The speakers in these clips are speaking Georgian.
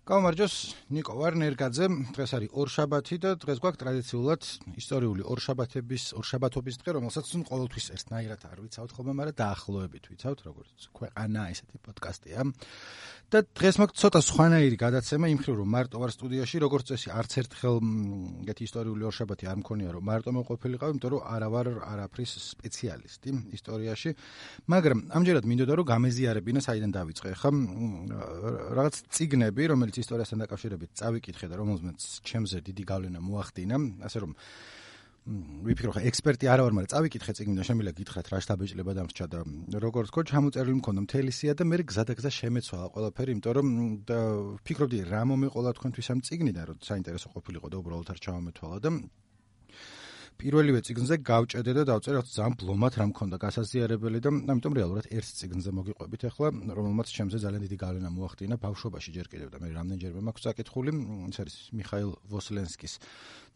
გამარჯოს, ნიკო ვარნერგაძე. დღეს არის ორშაბათი და დღეს გვაქვს ტრადიციულად ისტორიული ორშაბათობის დღე, რომელსაც ყოველთვის ერთნაირად არ ვიცავთ ხოლმე, მაგრამ დაახლოებით ვიცავთ, როგორც ქვეყანა ესეთი პოდკასტია. და დღეს მაქვს ცოტა სხვანაირი გადაცემა იმ მხრივ, რომ მარტო ვარ სტუდიაში, როგორც წესი, არც ერთხელ ეგეთი ისტორიული ორშაბათი არ მქონია, რომ მარტო მოვყოფილიყავ, იმიტომ რომ არა ვარ არაფრის სპეციალისტი ისტორიაში, მაგრამ ამჯერად მინდოდა რომ გამეზიარებინა საიდან დავიწყე. ხა რაღაც წიგნები, რომელიც ისტორიასთან დაკავშირებით წავიკითხე და რომელზეც ჩემზე დიდი გავლენა მოახდინა, ასე რომ ვიფიქრო, ხა ექსპერტი არა ვარ, მაგრამ წავიკითხე წიგნი და შემიძლია გითხრათ რა შთაბეჭდილება დამრჩა და როგორც თქო, ჩამოწერილი მქონდა მთელი სია და მე გზადაგზა შემეცვალა ყველაფერი, იმიტომ რომ ვფიქრობდი რა მომეყოლა თქვენთვის ამ წიგნიდან, რომ საინტერესო ყოფილიყო და უბრალოდ არ ჩავამეთვალა და პირველივე წიგნზე გავჭედე და დავწერე, რომ ძალიან ბლომად რა მქონდა გასაზიარებელი და ამიტომ რეალურად ერთ წიგნზე მოგიყვებით ახლა, რომელმაც ჩემზე ძალიან დიდი გავლენა მოახდინა ბავშვობაში ჯერ კიდევ და მე რამდენჯერმე მაქვს წაკითხული, ეს არის მიხაილ ვოსლენსკის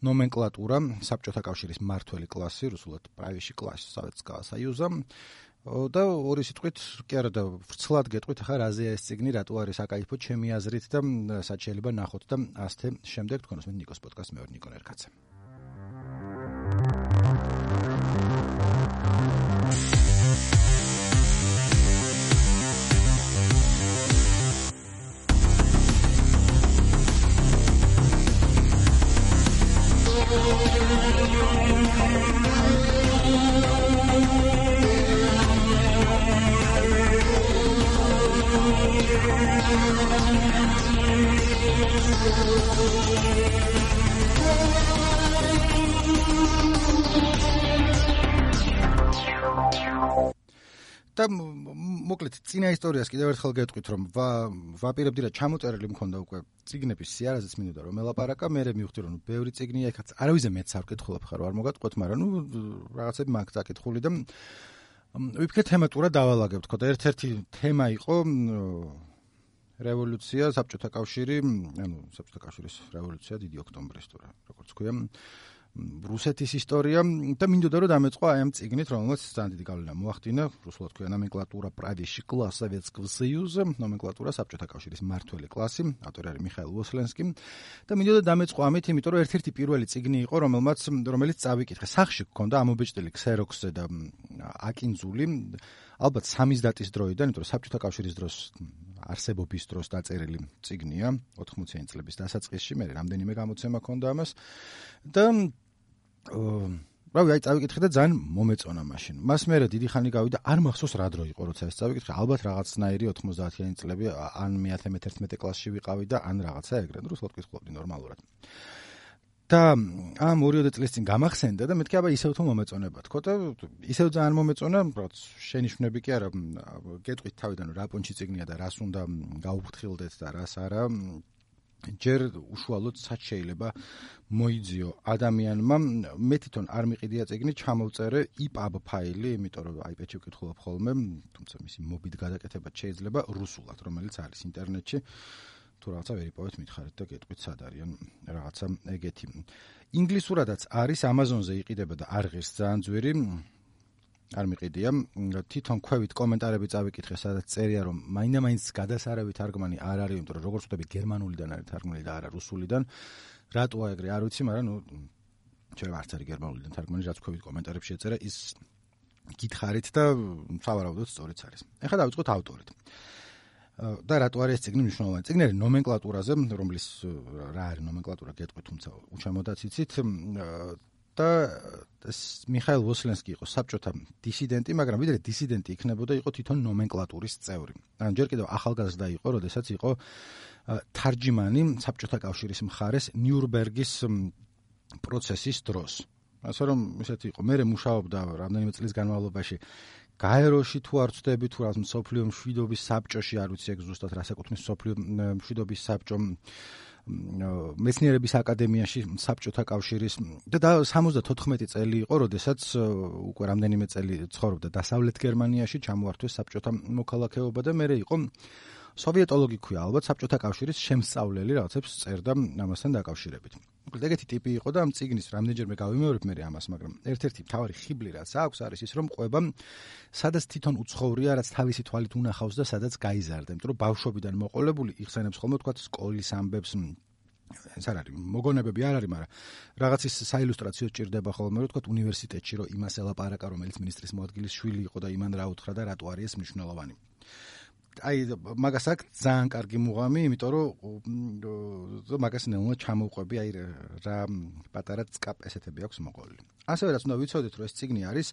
ნომენკლატურა, საბჭოთა კავშირის მმართველი კლასი, რუსულად правящий класс Советского Союза. და ორი სიტყვით კი არა და ვრცლად გეტყვით ახლა რაზეა ეს წიგნი, რატო არის აკაიფო ჩემი აზრით და სად შეიძლება ნახოთ და ასე შემდეგ თქვენს მე ნიკოს პოდკასტ მე ვარ ნიკო ვარნერგაძე. და მოკლედ წინა ისტორიას კიდევ ერთხელ გეტყვით, რომ ვაპირებდი რა ჩამოწერილი მქონდა უკვე წიგნების სიარაზეც მინდოდა რომ ელაპარაკა, მე მივხვდი რომ ბევრი წიგნია, ეხაც არავის მეც არ ვკითხულობ ხარ, არ მოგატყოთ, მაგრამ რაღაცები მაქვს წაკითხული და ვიფიქრე თემატურად დავალაგებ, თქო და ერთ-ერთი თემა იყო რევოლუცია, საბჭოთა კავშირი, საბჭოთა კავშირის რევოლუცია, დიდი ოქტომბრის თუ როგორც ქვია, რუსეთის ისტორია და მინდოდა რომ დამეწყო აი ამ წიგნით, რომელმაც ძალიან დიდი გავლენა მოახდინა, რუსულად ქვია ნომენკლატურა правящий класс Советского Союза, ნომენკლატურა საბჭოთა კავშირის მმართველი კლასი, ავტორი არის მიხაილ ვოსლენსკი და მინდოდა დამეწყო ამით, იმიტომ რომ ერთ-ერთი პირველი წიგნი იყო, რომელიც წავიკითხე. სახში გქონდა ამობეჭდილი ქსეროქსზე და აკინძული, ალბათ სამიზდატის დროიდან, იმიტომ რომ საბჭოთა კავშირის დროს არსებობის დროს დაწერილი წიგნია, 80-იანი წლების დასაწყისში, მე რამდენიმე გამოცემა ჰქონდა ამას და რავი, წავიკითხე და ძალიან მომეწონა მაშინ. მას მერე დიდი ხანი გავიდა, არ მახსოვს რა დრო იყო, როცა ეს წავიკითხე, ალბათ რაღაცნაირი 90-იანი წლები, ან მე-11 კლასში ვიყავი და ან რაღაცა ეგრე, რუსულად ვკითხულობდი ნორმალურად. და ამ 2 წლის წინ გამახსენდა და მეთქი აბა ისევ თუ მომეწონება, თქო და ისევ ძალიან მომეწონა, რაც შენიშვნები კი არა, გეტყვით თავიდან რა პონჩი წიგნია და რას უნდა გაუფრთხილდეთ და რას არა. ჯერ უშუალოდ სად შეიძლება მოიძიო ადამიანმა, მე თვითონ არ მიყიდია წიგნი, ჩამოვწერე EPUB ფაილი, იმიტომ რომ iPad-ში ვკითხულობ ხოლმე, თუმცა მისი მობილ გადაკეთებაც შეიძლება რუსულად, რომელიც არის ინტერნეტში. თუ რაღაცა ვერ იპოვეთ, მითხარით და გეტყვით სად არიან რაღაცა ეგეთი. ინგლისურადაც არის, Amazon-ზე იყიდება და არ ღირს ძალიან ძვირი. არ მიყიდია. თვითონ ქვევით კომენტარები წავიკითხე, სადაც წერია, რომ მაინდა-მაინც გადასარავი თარგმანი არ არის, იმიტომ რომ როგორც ვთქვი, გერმანულიდან არის თარგმნილი და არა რუსულიდან. რატოა ეგრე, არ ვიცი, მაგრამ შეიძლება არც არის გერმანულიდან თარგმანი, რაც ქვევით კომენტარებში ეწერა, ის გითხარით და სავარაუდოდ სწორიც არის. ეხლა დავიწყოთ ავტორით. და რატო არის ეს წიგნი მნიშვნელოვანი? წიგნი არის ნომენკლატურაზე, რომლის რა არის ნომენკლატურა გეტყვით, თუმცა უჩამოდაც იცით. და მიხაილ ვოსლენსკი იყო საბჭოთა დისიდენტი, მაგრამ ვიდრე დისიდენტი იქნებოდა, იყო თვითონ ნომენკლატურის წევრი. ან ჯერ კიდევ ახალგაზრდა იყო, როდესაც იყო თარჯიმანი საბჭოთა კავშირის მხარეს ნიურნბერგის პროცესის დროს. ასე რომ ისეთი იყო, მე მუშაობდა რამდენიმე წლის განმავლობაში გაეროში თუ არ ვწდები, თუ რა მსოფლიო მშვიდობის საბჭოში, არ ვიცი ეგ ზუსტად რას ეკუთვნის მსოფლიო მშვიდობის საბჭო, მეცნიერების აკადემიაში საბჭოთა კავშირის და 74 წელი იყო, როდესაც უკვე რამდენიმე წელი ცხოვრობდა დასავლეთ გერმანიაში, ჩამოართვეს საბჭოთა მოქალაქეობა და მერე იყო სოვიეტოლოგი ქვია, ალბათ საბჭოთა კავშირის შემსწავლელი, რაღაცებს წერდა ამასთან დაკავშირებით. ეგეთი ტიპი იყო და ამ წიგნის რამდენჯერმე გავიმეორებ მე ამას, მაგრამ ერთ-ერთი მთავარი ხიბლი რაც აქვს არის ის, რომ ყვება სადაც თვითონ უცხოვრია, რაც თავისი თვალით უნახავს და სადაც გაიზარდა, იმიტომ რომ ბავშვობიდან მოყოლებული იხსენებს ხოლმე თქვა სკოლის ამბებს, ეს არ არის მოგონებები არ არის, მაგრამ რაღაც ის საილუსტრაციო ჭირდება ხოლმე, რომ თქვა უნივერსიტეტში რომ იმას ელაპარაკა, რომელიც მინისტრის მოადგილის შვილი იყო და იმან რა უთხრა და რატო არის ეს მნიშვნელოვანი. აი მაგას აქვს ძალიან კარგი მუღამი, იმიტომ რომ მაგას ნელა ჩამოვყვები, აი რა პატარა წკაპ ესეთები აქვს მოყოლილი. ასევე რაც უნდა ვიცოდეთ, რომ ეს წიგნი არის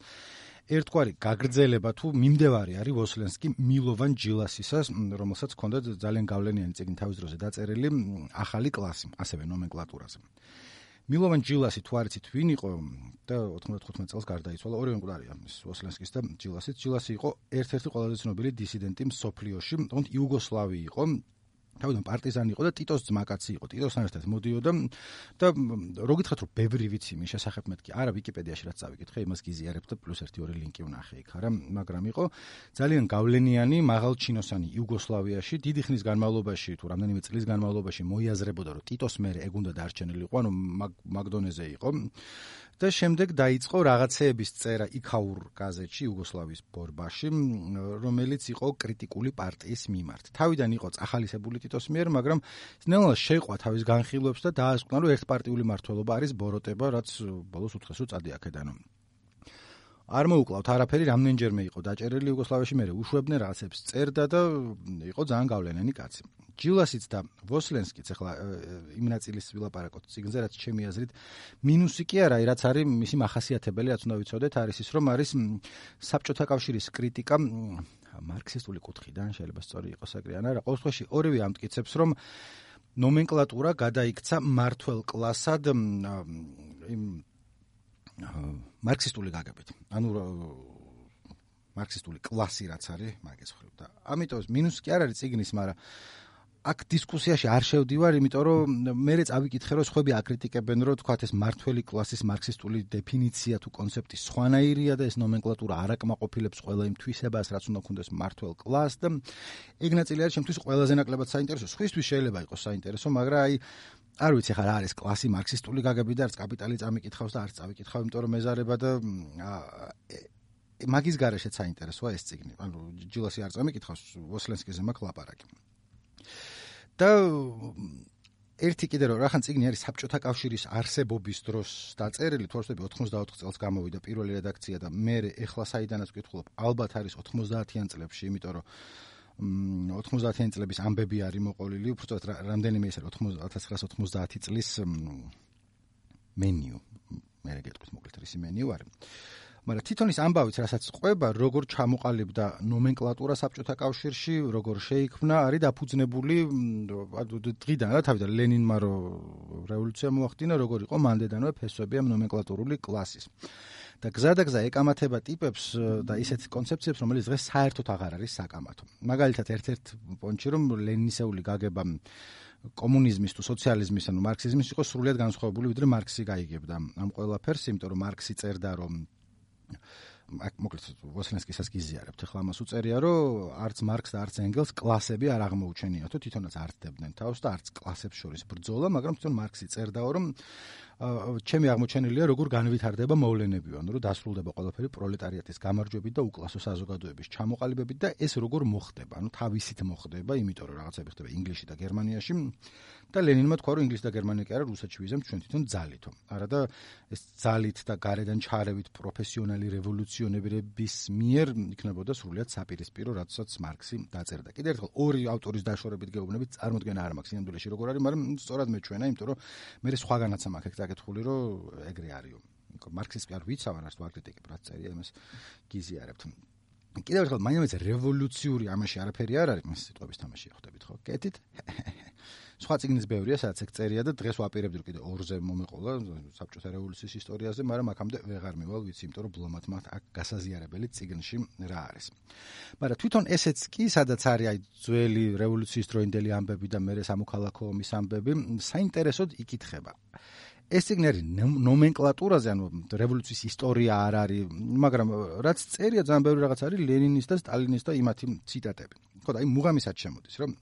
ერთგვარი გაგრძელება თუ მიმდევარი არის ვოსლენსკი მილოვან ჯილასისას, რომელსაც ჰქონდა ძალიან გავლენიანი წიგნი თავის დროზე დაწერილი ახალი კლასი, ასევე ნომენკლატურაზე. მილოვან ჯილასი თუ არ იცით ვინ იყო და 95 წელს გარდაიცვალა, ორივე მკვდარია ვოსლენსკის და ჯილასის. ჯილასი იყო ერთ-ერთი ყველაზე ცნობილი დისიდენტი მსოფლიოში, თუმცა იუგოსლავი იყო. თავიდან პარტიზანი იყო და ტიტოს ძმაკაცი იყო. ტიტოსთან ერთად მოდიოდა და რო გითხრათ რომ ბევრი ვიცი მის შესახებ მეთქი, არა ვიკიპედიაში რაც წავიკითხე, იმას გიზიარებ და პლუს 1-2 ლინკი ვნახე იქ, არა, მაგრამ იყო ძალიან გავლენიანი, მაღალჩინოსანი იუგოსლავიაში, დიდი ხნის განმავლობაში თუ რამდენიმე წლის განმავლობაში მოიაზრებოდა რომ ტიტოს მერე ეგ უნდა დარჩენილიყო, ანუ მაგდონეზე იყო. და შემდეგ დაიწყო რაღაცეების წერა იქაურ გაზეთში იუგოსლავიის ბორბაში, რომელიც იყო კრიტიკული პარტიის მიმართ. თავიდან იყო წახალისებული ტიტოს მიერ, მაგრამ ნელა შეყვა თავის განხილვებს და დაასკვნა, რომ ერთპარტიული მმართველობა არის ბოროტება, რაც ბოლოს უთხეს რომ წადი აქედან. არ მოუკლავთ არაფერი, რამდენჯერმე იყო დაჭერილი იუგოსლავიაში, მერე უშვებდნენ რაღაცებს წერდა და იყო ძალიან გავლენიანი კაცი. ჯილასიც და ვოსლენსკიც ახლა იმ ნაწილის ვილაპარაკოთ წიგნზე, რაც ჩემი აზრით მინუსი კი არა, რაც არის მისი მახასიათებელი, რაც უნდა ვიცოდეთ, არის ის, რომ არის საბჭოთა კავშირის კრიტიკა მარქსისტული კუთხიდან, შეიძლება სწორი იყოს ეგრე ან არა. ყოველ შემთხვევაში ორივე ამტკიცებს, რომ ნომენკლატურა გადაიქცა მმართველ კლასად იმ მარქსისტული გაგებით. ანუ მარქსისტული კლასი რაც არის, მაგის ხრივ და ამიტომ მინუსი კი არ არის წიგნის, მაგრამ აქ დისკუსიაში არ შევდივარ, იმიტომ რომ მე წავიკითხე, რომ სხვები აკრიტიკებენ, რომ თქვათ ეს მმართველი კლასის მარქსისტული დეფინიცია თუ კონცეფტი სხვანაირია და ეს ნომენკლატურა არ აკმაყოფილებს ყველა იმ თვისებას, რაც უნდა ქონდეს მმართველ კლასს და ეგ ნაწილი არის ჩემთვის ყველაზე ნაკლებად საინტერესო. სხვისთვის შეიძლება იყოს საინტერესო, მაგრამ აი არ ვიცი ხარ არის კლასი მარქსისტული გაგები და არც კაპიტალი წამიკითხავს და არც წავიკითხავ, იმიტომ რომ მეზარება და მაგის გარეშეც საინტერესოა ეს წიგნი. ანუ ჯილასი არ წამიკითხავს, ვოსლენსკიზე მაქვს ლაპარაკი. და ერთი კიდე რომ რახან წიგნი არის საბჭოთა კავშირის არსებობის დროს დაწერილი, თუ არ ვთქვი 84 წელს გამოვიდა პირველი რედაქცია და მე ეხლა საიდანაც ვკითხულობ, ალბათ არის 90-იან წლებში, იმიტომ რომ 90-იანი წლების ამბები არის მოყოლილი, უბრალოდ რამდენიმე ის არის 1990 წლის მენიუ. მე გეტყვით მოკლედ რისი მენიუ არის. მაგრამ თვითონ ის ამბავიც, რასაც ყვება, როგორ ჩამოყალიბდა ნომენკლატურა საბჭოთა კავშირში, როგორ შეიქმნა, არის დაფუძნებული დღიდან რა თავიდან ლენინმა რო რევოლუცია მოახდინა, როგორ იყო მანდედანვე ფესვები ამ ნომენკლატურული კლასის. და გზადაგზა ეკამათება ტიპებს და ისეთ კონცეფციებს, რომელიც დღეს საერთოდ აღარ არის საკამათო. მაგალითად, ერთ-ერთ პონჩი, რომ ლენინისეული გაგება კომუნიზმის თუ სოციალიზმის, ანუ მარქსიზმის იყო სრულიად განსხვავებული, ვიდრე მარქსი გაიგებდა ამ ყველაფერს, იმიტომ რომ მარქსი წერდა, რომ მოკლედ ვოსლენსკისაც გიზიარებთ, ახლა ამას უწერია, რომ არც მარქს და არც ენგელს კლასები არ აღმოუჩენიათო, თვითონაც არ დებდნენ თავს და არც კლასებს შორის ბრძოლა, მაგრამ თვითონ მარქსი წერდაო, რომ ჩემი აღმოჩენილია, როგორ განვითარდება მოვლენები, ანუ რომ დასრულდება ყველაფერი პროლეტარიატის გამარჯვებით და უკლასო საზოგადოების ჩამოყალიბებით და ეს როგორ მოხდება, ანუ თავისით მოხდება, იმიტომ რომ რაღაცები ხდება ინგლისში და გერმანიაში და ლენინმა თქვა, რომ ინგლისი და გერმანია კი არა, რუსეთში ვიზემთ ჩვენ თვითონ ძალითო. არა და ეს ძალით და გარედან ჩარევით პროფესიონალი რევოლუციონერების მიერ იქნებოდა სრულიად საპირისპირო, რაცაც მარქსი დაწერდა. კიდევ ერთხელ ორი ავტორის დაშორებით გეუბნებით, წარმოდგენა არ მაქვს სინამდვილეში როგორ არის, მაგრამ სწორად მეჩვენა, იმიტომ რომ მე სხვაგანაც მაქვს ეკითხული, რომ ეგრე არისო. მარქსის კი არ ვიცავ, არც თუ აკრიტიკებ, რაც წერია, იმას გიზიარებთ. კიდევ ერთხელ მაინც რევოლუციური ამაში არაფერი არ არის, მას სიტყვების თამაში ხვდებით ხო? კეთით? სხვა წიგნის ბევრია, სადაც ეგ წერია და დღეს ვაპირებდი რომ კიდე ორზე მომეყოლა საბჭოთა რევოლუციის ისტორიაზე, მაგრამ აქამდე ვეღარ მივალ, ვიცი, იმიტომ რომ ბლომად მათ აქ გასაზიარებელი წიგნში რა არის. მაგრამ თვითონ ესეც კი, სადაც არის აი ძველი რევოლუციის დროინდელი ამბები და მერე სამოქალაქო ომის ამბები, საინტერესოდ იკითხება. ეს წიგნი არის ნომენკლატურაზე, ანუ რევოლუციის ისტორია არ არის, მაგრამ რაც წერია ძალიან ბევრი რაღაც არის ლენინის და სტალინის და იმათი ციტატები. ხო და აი მუღამისაც შემოდის, რომ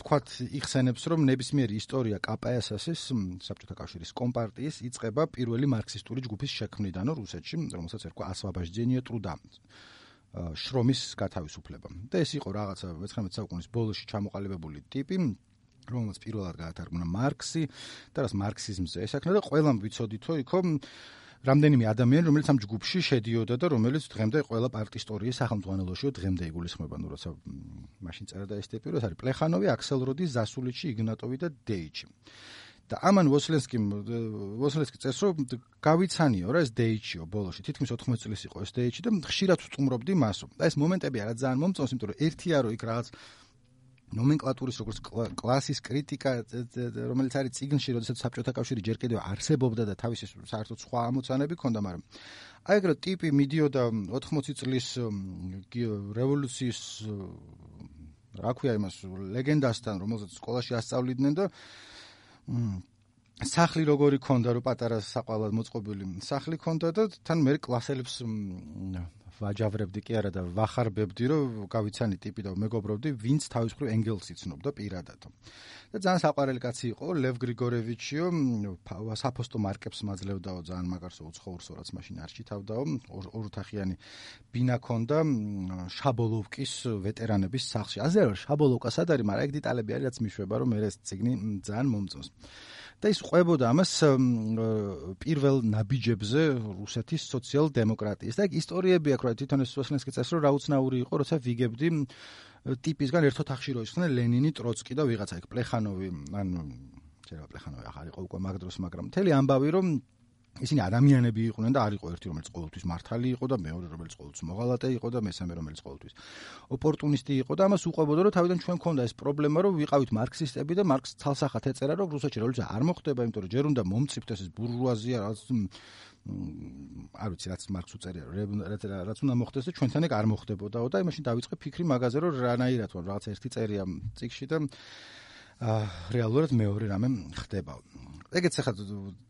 თქვათ იხსენებს, რომ ნებისმიერი ისტორია KPSS-ის, საბჭოთა კავშირის კომპარტიის იწყება პირველი მარქსისტული ჯგუფის შექმნიდან რუსეთში, რომელსაც ერქვა ასვაბაჟდენია ტრუდა. შრომის გათავისუფლება. და ეს იყო რაღაცა 19 საუკუნის ბოლოში ჩამოყალიბებული ტიპი, რომელსაც პირველად გაათარგმნა მარქსი და რაც მარქსიზმზე ესახნა და ყველამ ვიცოდითო იქო რამდენიმე ადამიანი, რომელიც ამ ჯგუფში შედიოდა და რომელიც დღემდე ყველა პარტიის სახელმძღვანელოშიო დღემდე იგულისხმება, ნუ როცა მაშინ წერდა ეს ტიპი, ეს არის პლეხანოვი, აქსელროდი, ზასულიჩი, იგნატოვი და დეიჩი. და ამან ვოსლენსკი წერს, რომ გავიცანიო რა ეს დეიჩიო ბოლოში, თითქმის 80 წლის იყო ეს დეიჩი და ხშირად ვსტუმრობდი მასო. და ეს მომენტები არა ძალიან მომწონს, იმიტომ რომ ერთია რომ იქ რაღაც ნომენკლატურის როგორც კლასის კრიტიკა, რომელიც არის წიგნში, როდესაც საბჭოთა კავშირი ჯერ კიდევ არსებობდა და თავისი საერთოდ სხვა ამოცანები ჰქონდა, მაგრამ აი ეგრე ტიპი მიდიოდა 80 წლის რევოლუციის რა ქვია იმას ლეგენდასთან, რომელსაც სკოლაში ასწავლიდნენ და სახლი როგორი ქონდა, რომ პატარა საყვალად მოწყობილი სახლი ქონდა და თან მე კლასელებს ვაჯავრებდი კი არა და ვახარბებდი, რომ გავიცანი ტიპი და მეგობრობდი, ვინც თავის მხრივ ენგელს იცნობდა პირადად. და ძალიან საყვარელი კაცი იყო, ლევ გრიგორევიჩიო, საფოსტო მარკებს მაძლევდაო ძალიან მაგარსო უცხოურსო, რაც მაშინ არ ჩითავდაო, ოროთახიანი ბინა ქონდა შაბოლოვკის ვეტერანების სახლში. აზერბაიჯანში შაბოლოვკა სად არის, მაგრამ ეგ დეტალები არის, რაც მიშვება, რომ მე ეს წიგნი ძალიან მომწონს. და ის ყვებოდა ამას პირველ ნაბიჯებზე რუსეთის სოციალ-დემოკრატიის. და ეგ ისტორიები აქვს, რა თვითონ ეს ვოსლენსკი წერს, რომ რა უცნაური იყო, როცა ვიგებდი ტიპისგან ერთ ოთახში რო ისხდნენ ლენინი, ტროცკი და ვიღაცა იქ პლეხანოვი, ანუ შეიძლება პლეხანოვი ახალ იყო უკვე მაგ დროს, მაგრამ მთელი ამბავი რომ ისინი ადამიანები იყვნენ და არ იყო ერთი რომელიც ყოველთვის მართალი იყო და მეორე რომელიც ყოველთვის მოღალატე იყო და მესამე რომელიც ყოველთვის ოპორტუნისტი იყო და ამას უყვებოდა რომ თავიდან ჩვენ მქონდა ეს პრობლემა რომ ვიყავით მარქსისტები და მარქსს თალსახად ეწერა რომ რუსეთში რევოლუცია არ მოხდება, იმიტომ რომ ჯერ უნდა მომწიფდეს ეს ბურჟუაზია რაც არ ვიცი რაც მარქსს უწერია რაც უნდა მოხდეს და ჩვენთან ეგ არ მოხდებოდაო და იმაში დავიწყე ფიქრი მაგაზე რომ რანაირად ვარ რაღაც ერთი წერია წიგში და რეალურად მეორე რამე ხდება. ეგეც ახლა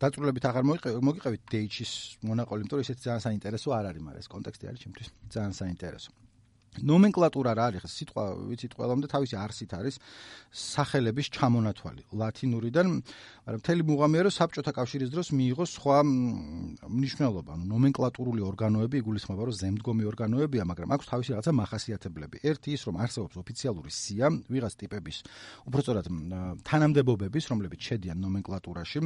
დაწვრილებით აღარ მოგიყევით დეიჩის მონაყოლი, იმიტომ რომ ისეთი ძალიან საინტერესო არ არის, მაგრამ ეს კონტექსტი არის ჩემთვის ძალიან საინტერესო. ნომენკლატურა რა არის? სიტყვა ვიცით ყველამდე თავისი არსით არის სახელების ჩამონათვალი ლათინურიდან, მაგრამ მთელი მუღამია რომ საბჭოთა კავშირის დროს მიიღო სხვა მნიშვნელობა. ნომენკლატურული ორგანოები იგულისხმება რომ ზემდგომი ორგანოებია, მაგრამ აქვს თავისი რაღაცა მახასიათებლები. ერთი ის რომ არსებობს ოფიციალური სია, ვიღაც ტიპების, უბრალოდ თანამდებობების, რომლებიც შედიან ნომენკლატურაში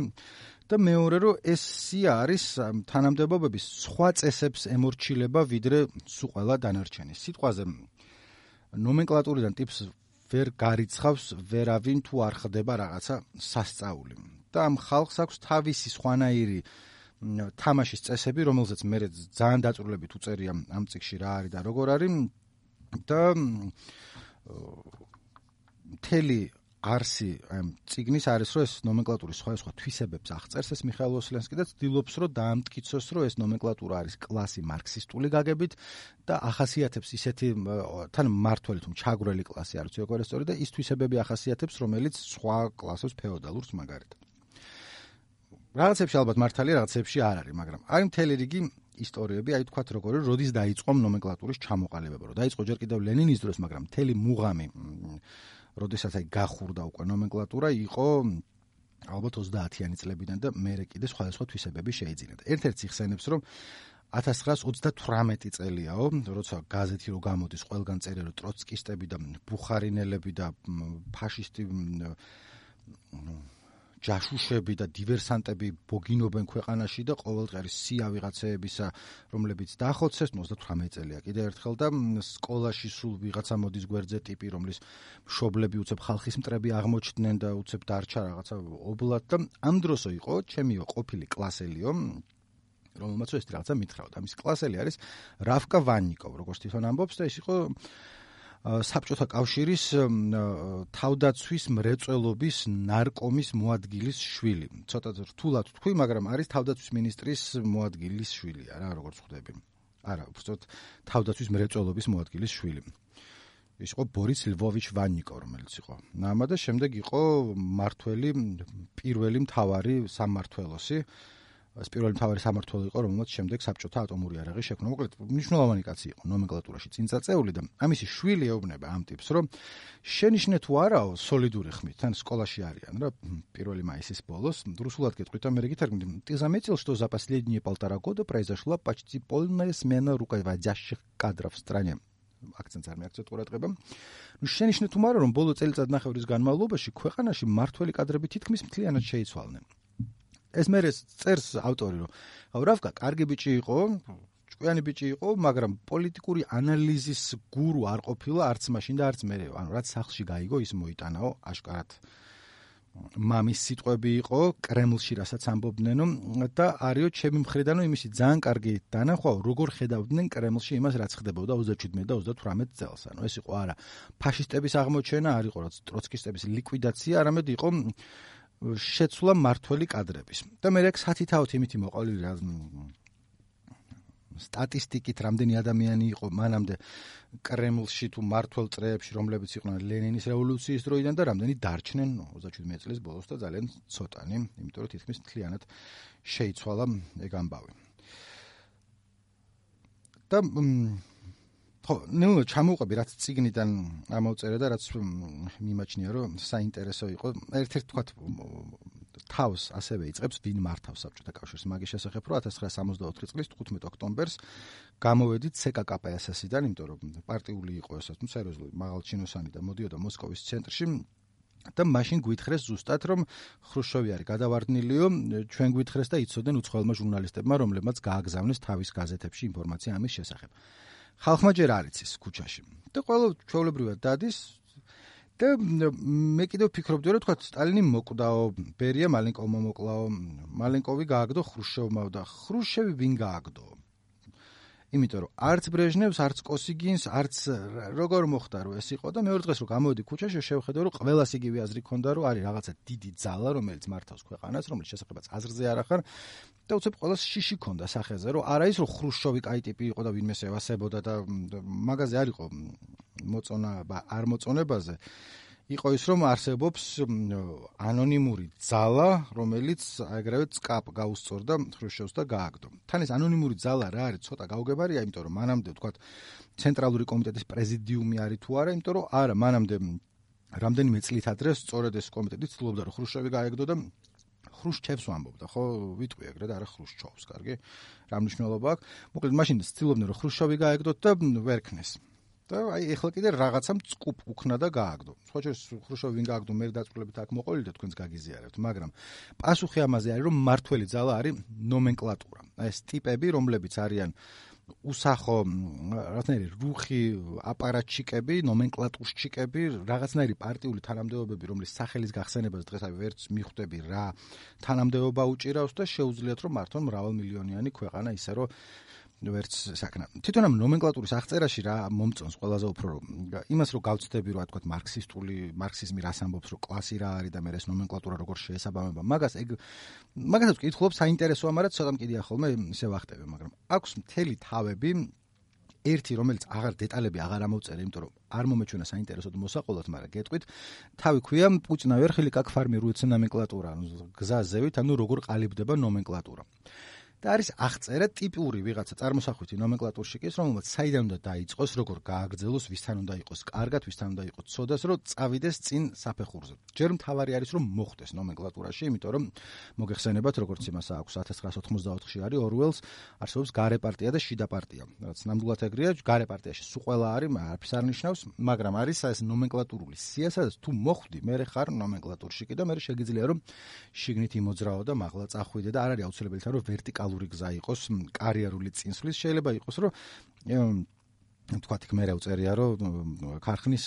და მეორე რომ ეს სია არის თანამდებობების სხვა წესებს ემორჩილება ვიდრე სულ ყველა დანარჩენი. სიტყვაზე ნომენკლატურიდან ტიპს ვერ გარიცხავს ვერავინ თუ არ ხდება რაღაცა სასწაული. და ამ ხალხს აქვს თავისი სხვანაირი თამაშის წესები, რომელზეც მე ძალიან დაწვრილებით უწერია ამ წიგში რა არის და როგორ არის და მთელი არსი ამ წიგნის არის რომ ეს ნომენკლატურის სხვა თვისებებს აღწერს ეს მიხაილ ვოსლენსკი და ცდილობს რომ დაამტკიცოს რომ ეს ნომენკლატურა არის კლასი მარქსისტული გაგებით და ახასიათებს ისეთი თან მმართველი თუ ჩაგვრელი კლასი არის როგორ ესწორი და ის თვისებები ახასიათებს რომელიც სხვა კლასებს ფეოდალურს მაგალითად. რაღაცებში ალბათ მართალია, რაღაცებში არ არის, მაგრამ არის მთელი რიგი ისტორიები, აი თქვათ როგორი როდის დაიწყო ნომენკლატურის ჩამოყალიბება, რომ დაიწყო ჯერ კიდევ ლენინის დროს, მაგრამ მთელი მუღამი როდესაც აი გახურდა უკვე ნომენკლატურა იყო ალბათ 30-იანი წლებიდან და მერე კიდე სხვადასხვა თვისებები შეიძინა. ერთ-ერთი იხსენებს რომ 1918 წელიაო, როცა გაზეთი რო გამოდის, ყველგან წერია რომ ტროცკისტები და ბუხარინელები და ფაშისტი ჯაშუშები და დივერსანტები ბოგინობენ ქვეყანაში და ყოველდღე სია ვიღაცეებისა, რომლებიც დაახოცეს 38 წელია კიდე ერთხელ და სკოლაში სულ ვიღაცა მოდის გვერდზე ტიპი, რომლის მშობლები უცებ ხალხის მტრები აღმოჩნდნენ და უცებ დარჩა რაღაცა ობლად და ამ დროსო იყო ჩემიო ყოფილი კლასელიო, რომელმაც ეს რაღაცა მითხრაოდა. ამის კლასელი არის რავკა ვანნიკოვ, როგორც თვითონ ამბობს და ეს იყო საბჭოთა კავშირის თავდაცვის მრეწველობის ნარკომის მოადგილის შვილი. ცოტა რთულად თქვი, მაგრამ არის თავდაცვის მინისტრის მოადგილის შვილი, არა როგორც ხვდები. არა, უბრალოდ თავდაცვის მრეწველობის მოადგილის შვილი. ის იყო ბორის ლვოვიჩ ვანნიკო, რომელიც იყო ნამა და შემდეგ იყო მართველი პირველი მთავარი სამმართველოსი ეს პირველი მთავარი სამმართველო იყო, რომელმაც შემდეგ საბჭოთა ატომური იარაღი შექმნა. მოკლედ, მნიშვნელოვანი კაცი იყო ნომენკლატურაში წინწაწეული და ამისი შვილი ეუბნება ამ ტიპს, რომ შენიშნე თუ არაო სოლიდური ხმით, თან სკოლაში არიან რა პირველი მაისის ბოლოს, რუსულად გეტყვით, ამერე გითარგმნით, ты заметил, что за последние 1,5 года произошла почти полная смена руководящих кадров в стране. აქცენტს არ მიაქცევთ ყურადღება. შენიშნე თუ არა, რომ ბოლო წელიწადნახევრის განმავლობაში ქვეყანაში მმართველი კადრები თითქმის მთლიანად შეიცვალნენ. ეს მერე წერს ავტორი, რომ რავკა კარგი ბიჭი იყო, ჭკვიანი ბიჭი იყო, მაგრამ პოლიტიკური ანალიზის გურუ არ ყოფილა არც მაშინ და არც მერე. ანუ რაც სახლში გაიგო, ის მოიტანაო, აშკარად მამის სიტყვები იყო კრემლში, რასაც ამბობდნენ და არიო ჩემი მხრიდანო იმისი ძალიან კარგი დანახვაო, როგორ ხედავდნენ კრემლში იმას, რაც ხდებოდა 27 და 38 წელს. ანუ ეს იყო არა ფაშისტების აღმოჩენა, არ იყო რაც ტროცკისტების ლიკვიდაცია, არამედ იყო შეცვლა მართველი კადრების. და მე რეკ სათითაოთ იმითი მოყოლილი რა სტატისტიკით რამდენი ადამიანი იყო მანამდე კრემლში თუ მართველ წრეებში, რომლებიც იყვნენ ლენინის რევოლუციის დროიდან და რამდენი დარჩნენ 37 წლის ბოლოს და ძალიან ცოტანი, იმიტომ რომ თითქმის მთლიანად შეიცვალა ეგ ამბავი. და ხო, ნუ ჩამოვყვები რაც ციგნიდან ამოვწერე და რაც მიმაჩნია რომ საინტერესო იყო. ერთ-ერთ თქვათ თავს ასევე იწყებს ვინ მართავს საბჭოთა კავშირს მაგის შესახებ, რომ 1964 წლის 15 ოქტომბერს გამოვედით CKKPSS-დან, იმიტომ რომ პარტიული იყო ეს, სერიოზული მაღალჩინოსანი და მოდიოდა მოსკოვის ცენტრში და მაშინ გვითხრეს ზუსტად რომ ხრუშჩოვი არის გადავარდნილიო, ჩვენ გვითხრეს და იცოდნენ უცხოელმა ჟურნალისტებმა, რომლებმაც გააგზავნეს თავის გაზეთებში ინფორმაცია ამის შესახებ. ხალხმა ჯერ არ იცის ქუჩაში და ყველა ჩვეულებრივად დადის და მე კიდევ ფიქრობდი რომ თქვა სტალინი მოკვდაო, ბერია მალენკოვმა მოკლაო, მალენკოვი გააგდო ხრუშჩოვმა და ხრუშჩევი ვინ გააგდო? იმიტომ რომ არც ბრეჟნევს, არც კოსიგინს, არც როგორ მოხდა რომ ეს იყო და მეორე დღეს რომ გამოვედი ქუჩაში, შევხედე რომ ყველას იგივე აზრი ქონდა რომ არის რაღაცა დიდი ძალა, რომელიც მართავს ქვეყანას, რომელიც შესაძლებაც აზრზე არ ახარ და უცებ ყველას შიში ქონდა სახეზე, რომ არა ის რომ ხრუშჩოვი კაი ტიპი იყო და ვინმე ევასებოდა და მაგაზე არ იყო მოწონა არ მოწონებაზე. იყო ის რომ არსებობს ანონიმური ძალა, რომელიც აგრევე წკაპ გაუსწორდა ხრუშჩოვს და გააგდო. თან ეს ანონიმური ძალა რა არის, ცოტა გაუგებარია, იმიტომ რომ მანამდე ვთქვათ ცენტრალური კომიტეტის პრეზიდიუმი არის თუ არა, იმიტომ რომ არა, მანამდე რამდენიმე წლით ადრე სწორედ ეს კომიტეტი ცდილობდა რომ ხრუშჩოვი გაეგდო და ხრუშჩევს ვამბობდა, ხო, ვიტყვი ეგრე და არა ხრუშჩოვს, კარგი? რა მნიშვნელობა აქვს? მოკლედ მაშინ ცდილობდნენ რომ ხრუშჩოვი გაეგდოთ და ვერ ქნეს. და აი ეხლა კიდე რაღაცა მწყუპ უქნა და გააგდო. სხვა შორის ხრუშჩოვი ვინ გააგდო, მე დაწვრილებით აქ მოყოლილი და თქვენს გაგიზიარებთ, მაგრამ პასუხი ამაზე არის რომ მართველი ძალა არის ნომენკლატურა. ეს ტიპები, რომლებიც არიან უსახო რაღაცნაირი რუხი აპარატჩიკები, ნომენკლატურშჩიკები, რაღაცნაირი პარტიული თანამდებობები, რომლის სახელის გახსენებას დღეს აი ვერც მიხვდები რა თანამდებობა უჭირავს და შეუძლიათ რომ მართონ მრავალმილიონიანი ქვეყანა ისე რომ ვერც საკნა. თვითონ ამ ნომენკლატურის აღწერაში რა მომწონს ყველაზე უფრო რომ იმას რომ გავცდები რა თქვა მარქსიზმი რას ამბობს რომ კლასი რა არის და მე ეს ნომენკლატურა როგორ შეესაბამება. მაგასაც ვკითხულობ საინტერესოა, მაგრამ ცოტა მკიდია ხოლმე ისე ვახტები, მაგრამ აქვს მთელი თავები ერთი რომელიც აღარ დეტალები აღარ ამოვწერე, იმიტომ რომ არ მომეჩვენა საინტერესოდ მოსაყოლად, მაგრამ გეტყვით, თავი ქვია პუჭნა ვერხილი კაკ ფარმიруется ნომენკლატურა, გზაზევით, ანუ როგორ ყალიბდება ნომენკლატურა. და არის აღწერა ტიპური ვიღაცა წარმოსახვითი ნომენკლატურშიკის, რომელმაც საიდან უნდა დაიწყოს, როგორ გააგრძელოს, ვისთან უნდა იყოს კარგად, ვისთან უნდა იყოს ცოდას, რომ წავიდეს წინ საფეხურზე. ჯერ მთავარი არის რომ მოხდეს ნომენკლატურაში, იმიტომ რომ მოგეხსენებათ, როგორც იმას აქვს 1984-ში არის ორუელს, არსებობს გარე პარტია და შიდა პარტია. რაც ნამდვილად ეგრეა, გარე პარტიაში სულ ყველა არის, არაფერს არ ნიშნავს, მაგრამ არის ეს ნომენკლატურული სია, სადაც თუ მოხვდი, მე ხარ ნომენკლატურშიკი და მე შეგიძლია რომ შიგნით იმოძრაო და მაღლა წახვიდე და არ არის აუცილებელი რომ ვერტიკალური გზა იყოს კარიერული წინსვლის, შეიძლება იყოს რომ თქვათ იქ მე უწერია რომ ქარხნის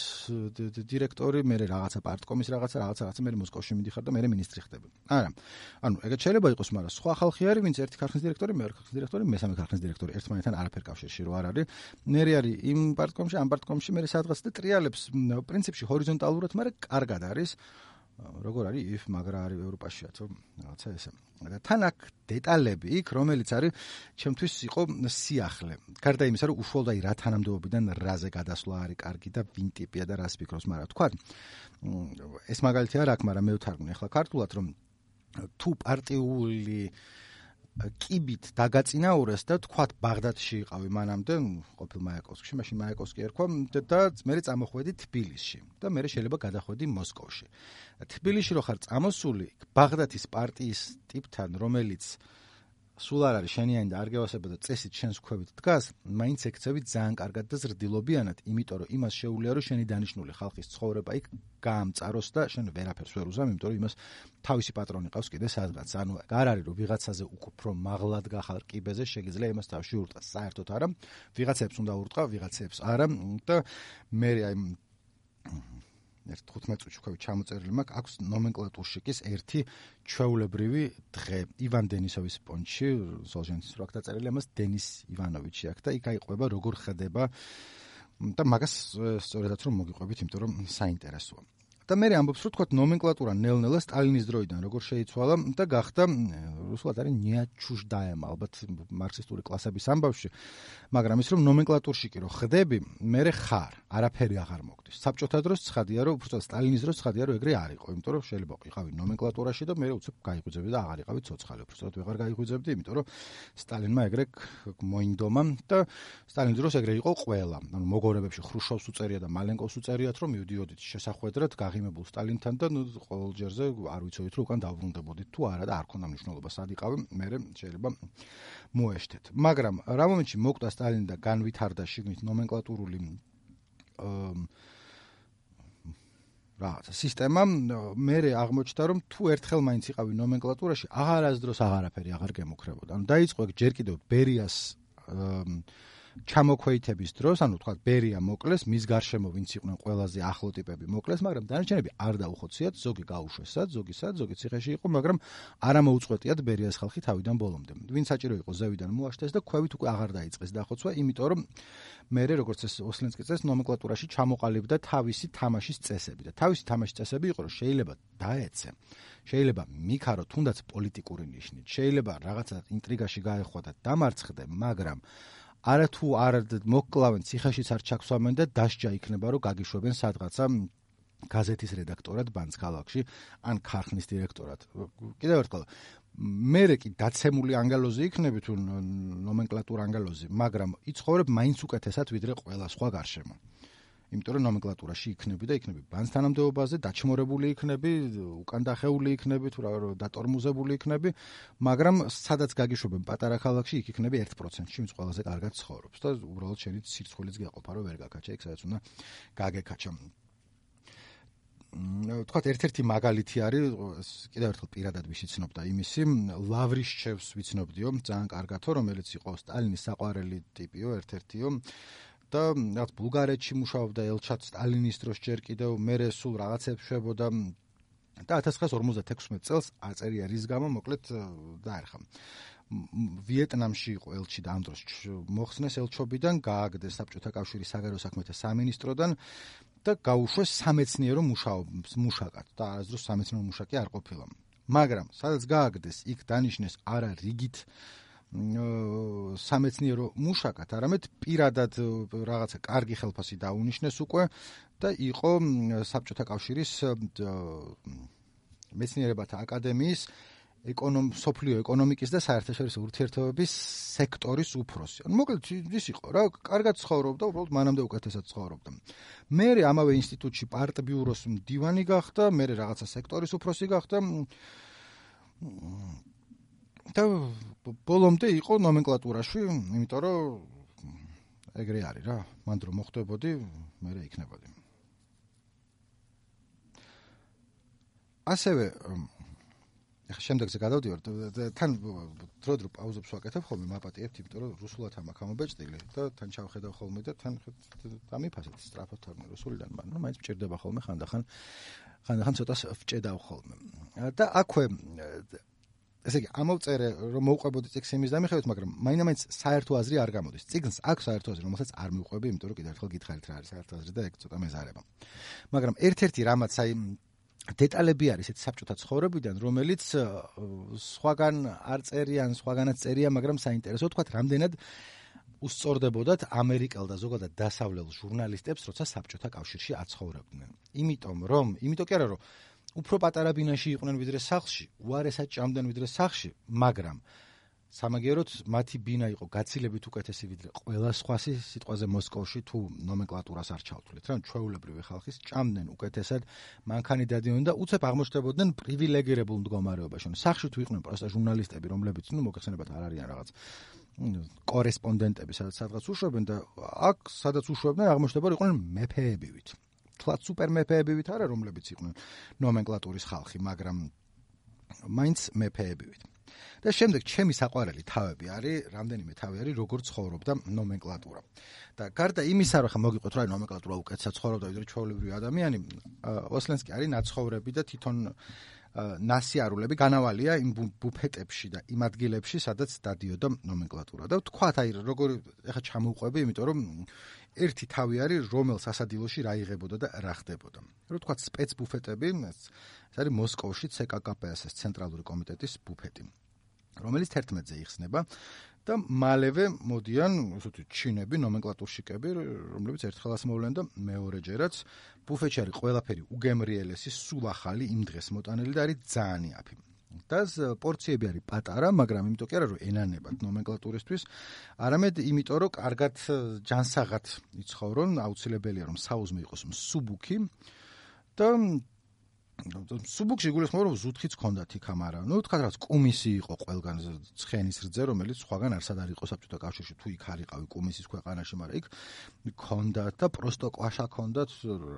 დირექტორი, მე რაღაცა პარტკომის რაღაცა მე მოსკოვში მიდიხარ და მე მინისტრი ხდები. არა. ანუ ეგეც შეიძლება იყოს, მაგრამ სხვა ხალხი არის, ვინც ერთი ქარხნის დირექტორი, მეორე ქარხნის დირექტორი, მესამე ქარხნის დირექტორი, ერთმანეთთან არაფერ კავშირში რო არ არის. მე არის იმ პარტკომში, ამ პარტკომში მე სადღაც და ტრიალებს პრინციპში ჰორიზონტალურად, მაგრამ კარგად არის. როგორ არის if მაგრა არის ევროპაშიაც რაღაცა ესე. და თან აქ დეტალები იქ, რომელიც არის ჩემთვის იყო სიახლე. გარდა იმისა, რომ უშუალოდ აი რა თანამდებობიდან რაზე გადასვლა არის კარგი და ვინ ტიპია და რას ფიქრობს, მაგრამ თქვა ეს მაგალითი არ აქვს, მაგრამ მე ვთარგმნი ახლა ქართულად, რომ თუ პარტიული კიბით დაგაწინაურეს და თქვათ ბაღდადში იყავი მანამდე, ყოფილ მაიაკოვსკში, მაშინ მაიაკოვსკი ერქვა და მე წამოხვედი თბილისში და მე შეიძლება გადახვედი მოსკოვში. თბილისში რო ხარ წამოსული, ბაღდადის პარტიის ტიპთან, რომელიც სულ არ არის შენიანი და არ გევასება და წესით შენს ქვევით დგას, მაინც ექცევით ძალიან კარგად და ზრდილობიანად, იმიტომ რომ იმას შეუძლია რომ შენი დანიშნული ხალხის ცხოვრება იქ გაამწაროს და შენ ვერაფერს ვერ უზამ, იმიტომ რომ იმას თავისი პატრონი ყავს კიდე სადღაც. ანუ არ არის რომ ვიღაცაზე უფრო მაღლად გახარ კიბეზე, შეგიძლია იმას თავში ურტყას. საერთოდ არა, ვიღაცებს უნდა ურტყა, ვიღაცებს არა და მე აი 15 წუთში ვქავი ჩამოწერილი მაქვს, აქვს ნომენკლატურშიკის ერთი ჩვეულებრივი დღე ივან დენისოვის პონჩში, სოლჟენცის რო აქ დაწერილი, ამას დენის ივანოვიჩი აქვს და იქ აიყვება როგორ ხდება და მაგას სწორედაც რომ მოგიყვებით, იმიტომ რომ საინტერესოა. და მე ამბობს რომ თქვათ ნომენკლატურა ნელ-ნელა სტალინის დროიდან როგორ შეიცვალა და გახდა რუსულად არის ნიაჩუშდაემა, ალბათ მარქსისტული კლასების ამბავში, მაგრამ ის რომ ნომენკლატურში კი რო ხდები, მე ხარ, არაფერი აღარ მოგდის. საბჭოთა დროს ცხადია რომ უბრალოდ სტალინის დროს ცხადია რომ ეგრე არ იყო, იმიტომ რომ შეიძლება იყავი ნომენკლატურაში და მე უცებ გაიღვიძებდი და აღარ იყავი ცოცხალი, უბრალოდ ვეღარ გაიღვიძებდი, იმიტომ რომ სტალინმა ეგრე მოინდომა და სტალინის დროს ეგრე იყო ყველა. ანუ მოგორებებში ხრუშოვს უწერია და მალენკოვს უწერიათ რომ მივდიოდით შესახვედრად ღიმებულ სტალინთან და ყოველ ჯერზე არ ვიცოდით რომ უკან დავბრუნდებოდით თუ არა და არ ქონდა მნიშვნელობა სად იყავი, მე შეიძლება მოეშთეთ. მაგრამ რა მომენტში მოკვდა სტალინი და განვითარდა შიგნით ნომენკლატურული რაღაცა სისტემა, მე აღმოჩნდა რომ თუ ერთხელ მაინც იყავი ნომენკლატურაში, აღარასდროს აღარაფერი აღარ გემუქრებოდა. ანუ დაიწყო ჯერ კიდევ ბერიას ჩამოქვეითების დროს, ანუ თქვა ბერია მოკლეს, მის გარშემო ვინც იყვნენ ყველაზე ახლო ტიპები მოკლეს, მაგრამ დანარჩენები არ დაუხოციათ, ზოგი გაუშვესად, ზოგი ციხეში იყო, მაგრამ არა მოუწყვეტიათ ბერიას ხალხი თავიდან ბოლომდე. ვინც საჭირო იყო ზევიდან მოაშთეს და ქვევით უკვე აღარ დაიწყეს დახოცვა, იმიტომ რომ მე როგორც ეს ოსლენსკი წეს ნომენკლატურაში ჩამოყალიბდა თავისი თამაშის წესები და თავისი თამაშის წესები იყო რომ შეიძლება დაეცე, შეიძლება მიქარო თუნდაც პოლიტიკური ნიშნით, შეიძლება რაღაცა ინტრიგაში გაეხვა და დამარცხდე, მაგრამ არა თუ არ მოკლავენ ციხეშიც არ ჩაქვსვამენ და დასჯა იქნება რომ გაგიშვებენ სადღაცა გაზეთის რედაქტორად ბანს ქალაქში ან ქარხნის დირექტორად. კიდევ ერთხელ მე კი დაცემული ანგელოზი იქნები თუ ნომენკლატურა ანგელოზი, მაგრამ იცხოვრებ მაინც უკეთესად ვიდრე ყველა სხვა გარშემო. იმიტომ რომ ნომენკლატურაში იქნები და იქნები ბანს თანამდებობაზე, დაჩმორებული იქნები, უკან დახეული იქნები, თუ რა დატორმუზებული იქნები, მაგრამ სადაც გაგიშვებენ პატარა ქალაქში, იქ იქნები 1%-ში, ვინც ყველაზე კარგად ცხოვრობს და უბრალოდ შენი სირცხვილიც გეყოფა, რომ ვერ გაკაჩა, იქ სადაც უნდა გაგეკაჩა. თქვათ ერთ-ერთი მაგალითი არის, კიდევ ერთხელ პირადად ვიცნობდა იმისი, ლავრიშჩევს ვიცნობდიო, ძალიან კარგათო, რომელიც იყო სტალინის საყვარელი ტიპიო, ერთ-ერთიო. და რაღაც ბულგარეთში მუშაობდა ელჩად სტალინის დროს ჯერ კიდევ მერე სულ რაღაცებს შვებოდა და 1956 წელს აწერია რის გამო მოკლედ დაერხა. ვიეტნამში იყო ელჩი და ამ დროს მოხსნეს ელჩობიდან, გააგდეს საბჭოთა კავშირის საგარეო საქმეთა სამინისტროდან და გაუშვეს სამეცნიერო მუშაკად და არასდროს სამეცნიერო მუშაკი არ ყოფილა. მაგრამ სადაც გააგდეს, იქ დანიშნეს არა რიგით სამეცნიერო მუშაკად, არამედ პირადად რაღაცა კარგი ხელფასი დაუნიშნეს უკვე და იყო საბჭოთა კავშირის მეცნიერებათა აკადემიის სოფლიო ეკონომიკის და საერთაშორისო ურთიერთობების სექტორის უფროსი. მოკლედ ის იყო რა, კარგად ცხოვრობდა, უბრალოდ მანამდე უკეთესად ცხოვრობდა. მე ამავე ინსტიტუტში პარტბიუროს მდივანი გახდა, მე რაღაცა სექტორის უფროსი გახდა და ბოლომდე იყო ნომენკლატურაში, იმიტომ რომ ეგრე არის რა, მანდ რომ მოხდებოდი, მე იქნებოდი. ასევე ახლა შემდეგზე გადავდივარ, თან დრო პაუზებს ვაკეთებ ხოლმე, მაპატიებთ, იმიტომ რომ რუსულად ამაქვს ამობეჭდილი და თან ჩავხედავ ხოლმე და თან დამიფასეთ სწრაფად თარგმნი რუსულიდან, მაგრამ მაინც მჭირდება ხოლმე ხანდახან ცოტას ვჭედავ ხოლმე. და აქვე ესე იგი, ამოვწერე, რომ მოვყვებოდი წიგნს იმის დამიხევით, მაგრამ მაინც საერთო აზრი არ გამოდის. წიგნს აქვს საერთო აზრი, რომელსაც არ მივყვები, იმიტომ რომ კიდევ ერთხელ გითხარით რა არის საერთო აზრი და ეგ ცოტა მეზარება. მაგრამ ერთ-ერთი რამაც აი დეტალები არის ეს საბჭოთა ცხოვრებიდან, რომელიც სხვაგან არ წერიან, სხვაგანაც წერია, მაგრამ საინტერესო თქვა, რამდენად უსწორდებოდათ ამერიკელ და ზოგადად დასავლელ ჟურნალისტებს, როცა საბჭოთა კავშირში აცხოვრებდნენ. იმიტომ კი არა, რომ უფრო პატარა ბინაში იყვნენ ვიდრე სახლში, უარესად ჭამდნენ ვიდრე სახლში, მაგრამ სამაგიეროდ მათი ბინა იყო გაცილებით უკეთესი ვიდრე ყველა სხვა სიტყვაზე მოსკოვში თუ ნომენკლატურას არ ჩავთვლით, რა ჩვეულებრივი ხალხის ჭამდნენ უკეთესად, მანქანი დადიოდნენ და უცებ აღმოჩნდებოდნენ პრივილეგირებულ მდგომარეობაში. სახში თუ იყვნენ პროსტა ჟურნალისტები, რომლებიც მოგეხსენებათ არ არიან რაღაც კორესპონდენტები, სადაც უშვებენ და აქ სადაც უშვებდნენ აღმოჩნდება იყვნენ მეფეებივით. თლაც სუპერ მეფეებივით არა, რომლებიც იყვნენ ნომენკლატურის ხალხი, მაგრამ მაინც მეფეებივით. და შემდეგ ჩემი საყვარელი თავები არის, რამდენიმე თავი არის, როგორ ცხოვრობდა ნომენკლატურა. და გარდა იმისა, რომ ხა მოგიყვეთ რა ნომენკლატურა უკეთესად ცხოვრობდა ვიდრე ჩვეულებრივი ადამიანი, ოსლენსკი არის ნაცხოვრები და თვითონ ნასიარულები განავალია იმ ბუფეტებში და იმ ადგილებში, სადაც დადიოდა ნომენკლატურა. და თქვათ, აი როგორ ეხა ჩამოვყვები, იმიტომ რომ ერთი თავი არის, რომელ სასადილოში რა იღებოდა და რა ხდებოდა. რო თქვათ სპეცბუფეტები, ეს არის მოსკოვში CKKPS-ის ცენტრალური კომიტეტის ბუფეტი, რომელიც 11-ზე იხსნება და მალევე მოდიან ესეთი ჩინები, ნომენკლატურშიკები, რომლებიც ერთხელაც მოვლენ და მეორეჯერაც ბუფეტში არის ყველაფერი უგემრიელესი, სულ ახალი, იმ დღეს მოტანილი და არის ძალიან იაფი. და პორციები არის პატარა, მაგრამ იმიტომ კი არა რომ ენანებათ ნომენკლატურისთვის, არამედ იმიტომ რომ კარგად ჯანსაღად იცხოვრონ, აუცილებელია რომ საუზმე იყოს მსუბუქი და სუბუქში გულისხმობ რომ ზუთხიც ჰქონდათ იქ ამარა. თქვა რაც კუმისი იყო ყველგან ცხენის რძე, რომელიც სხვაგან არსად არ იყო საბჭოთა კავშირში, თუ იქ არ იყავი კუმისის ქვეყანაში, მაგრამ იქ ჰქონდათ და პროსტო კვაშა ჰქონდათ,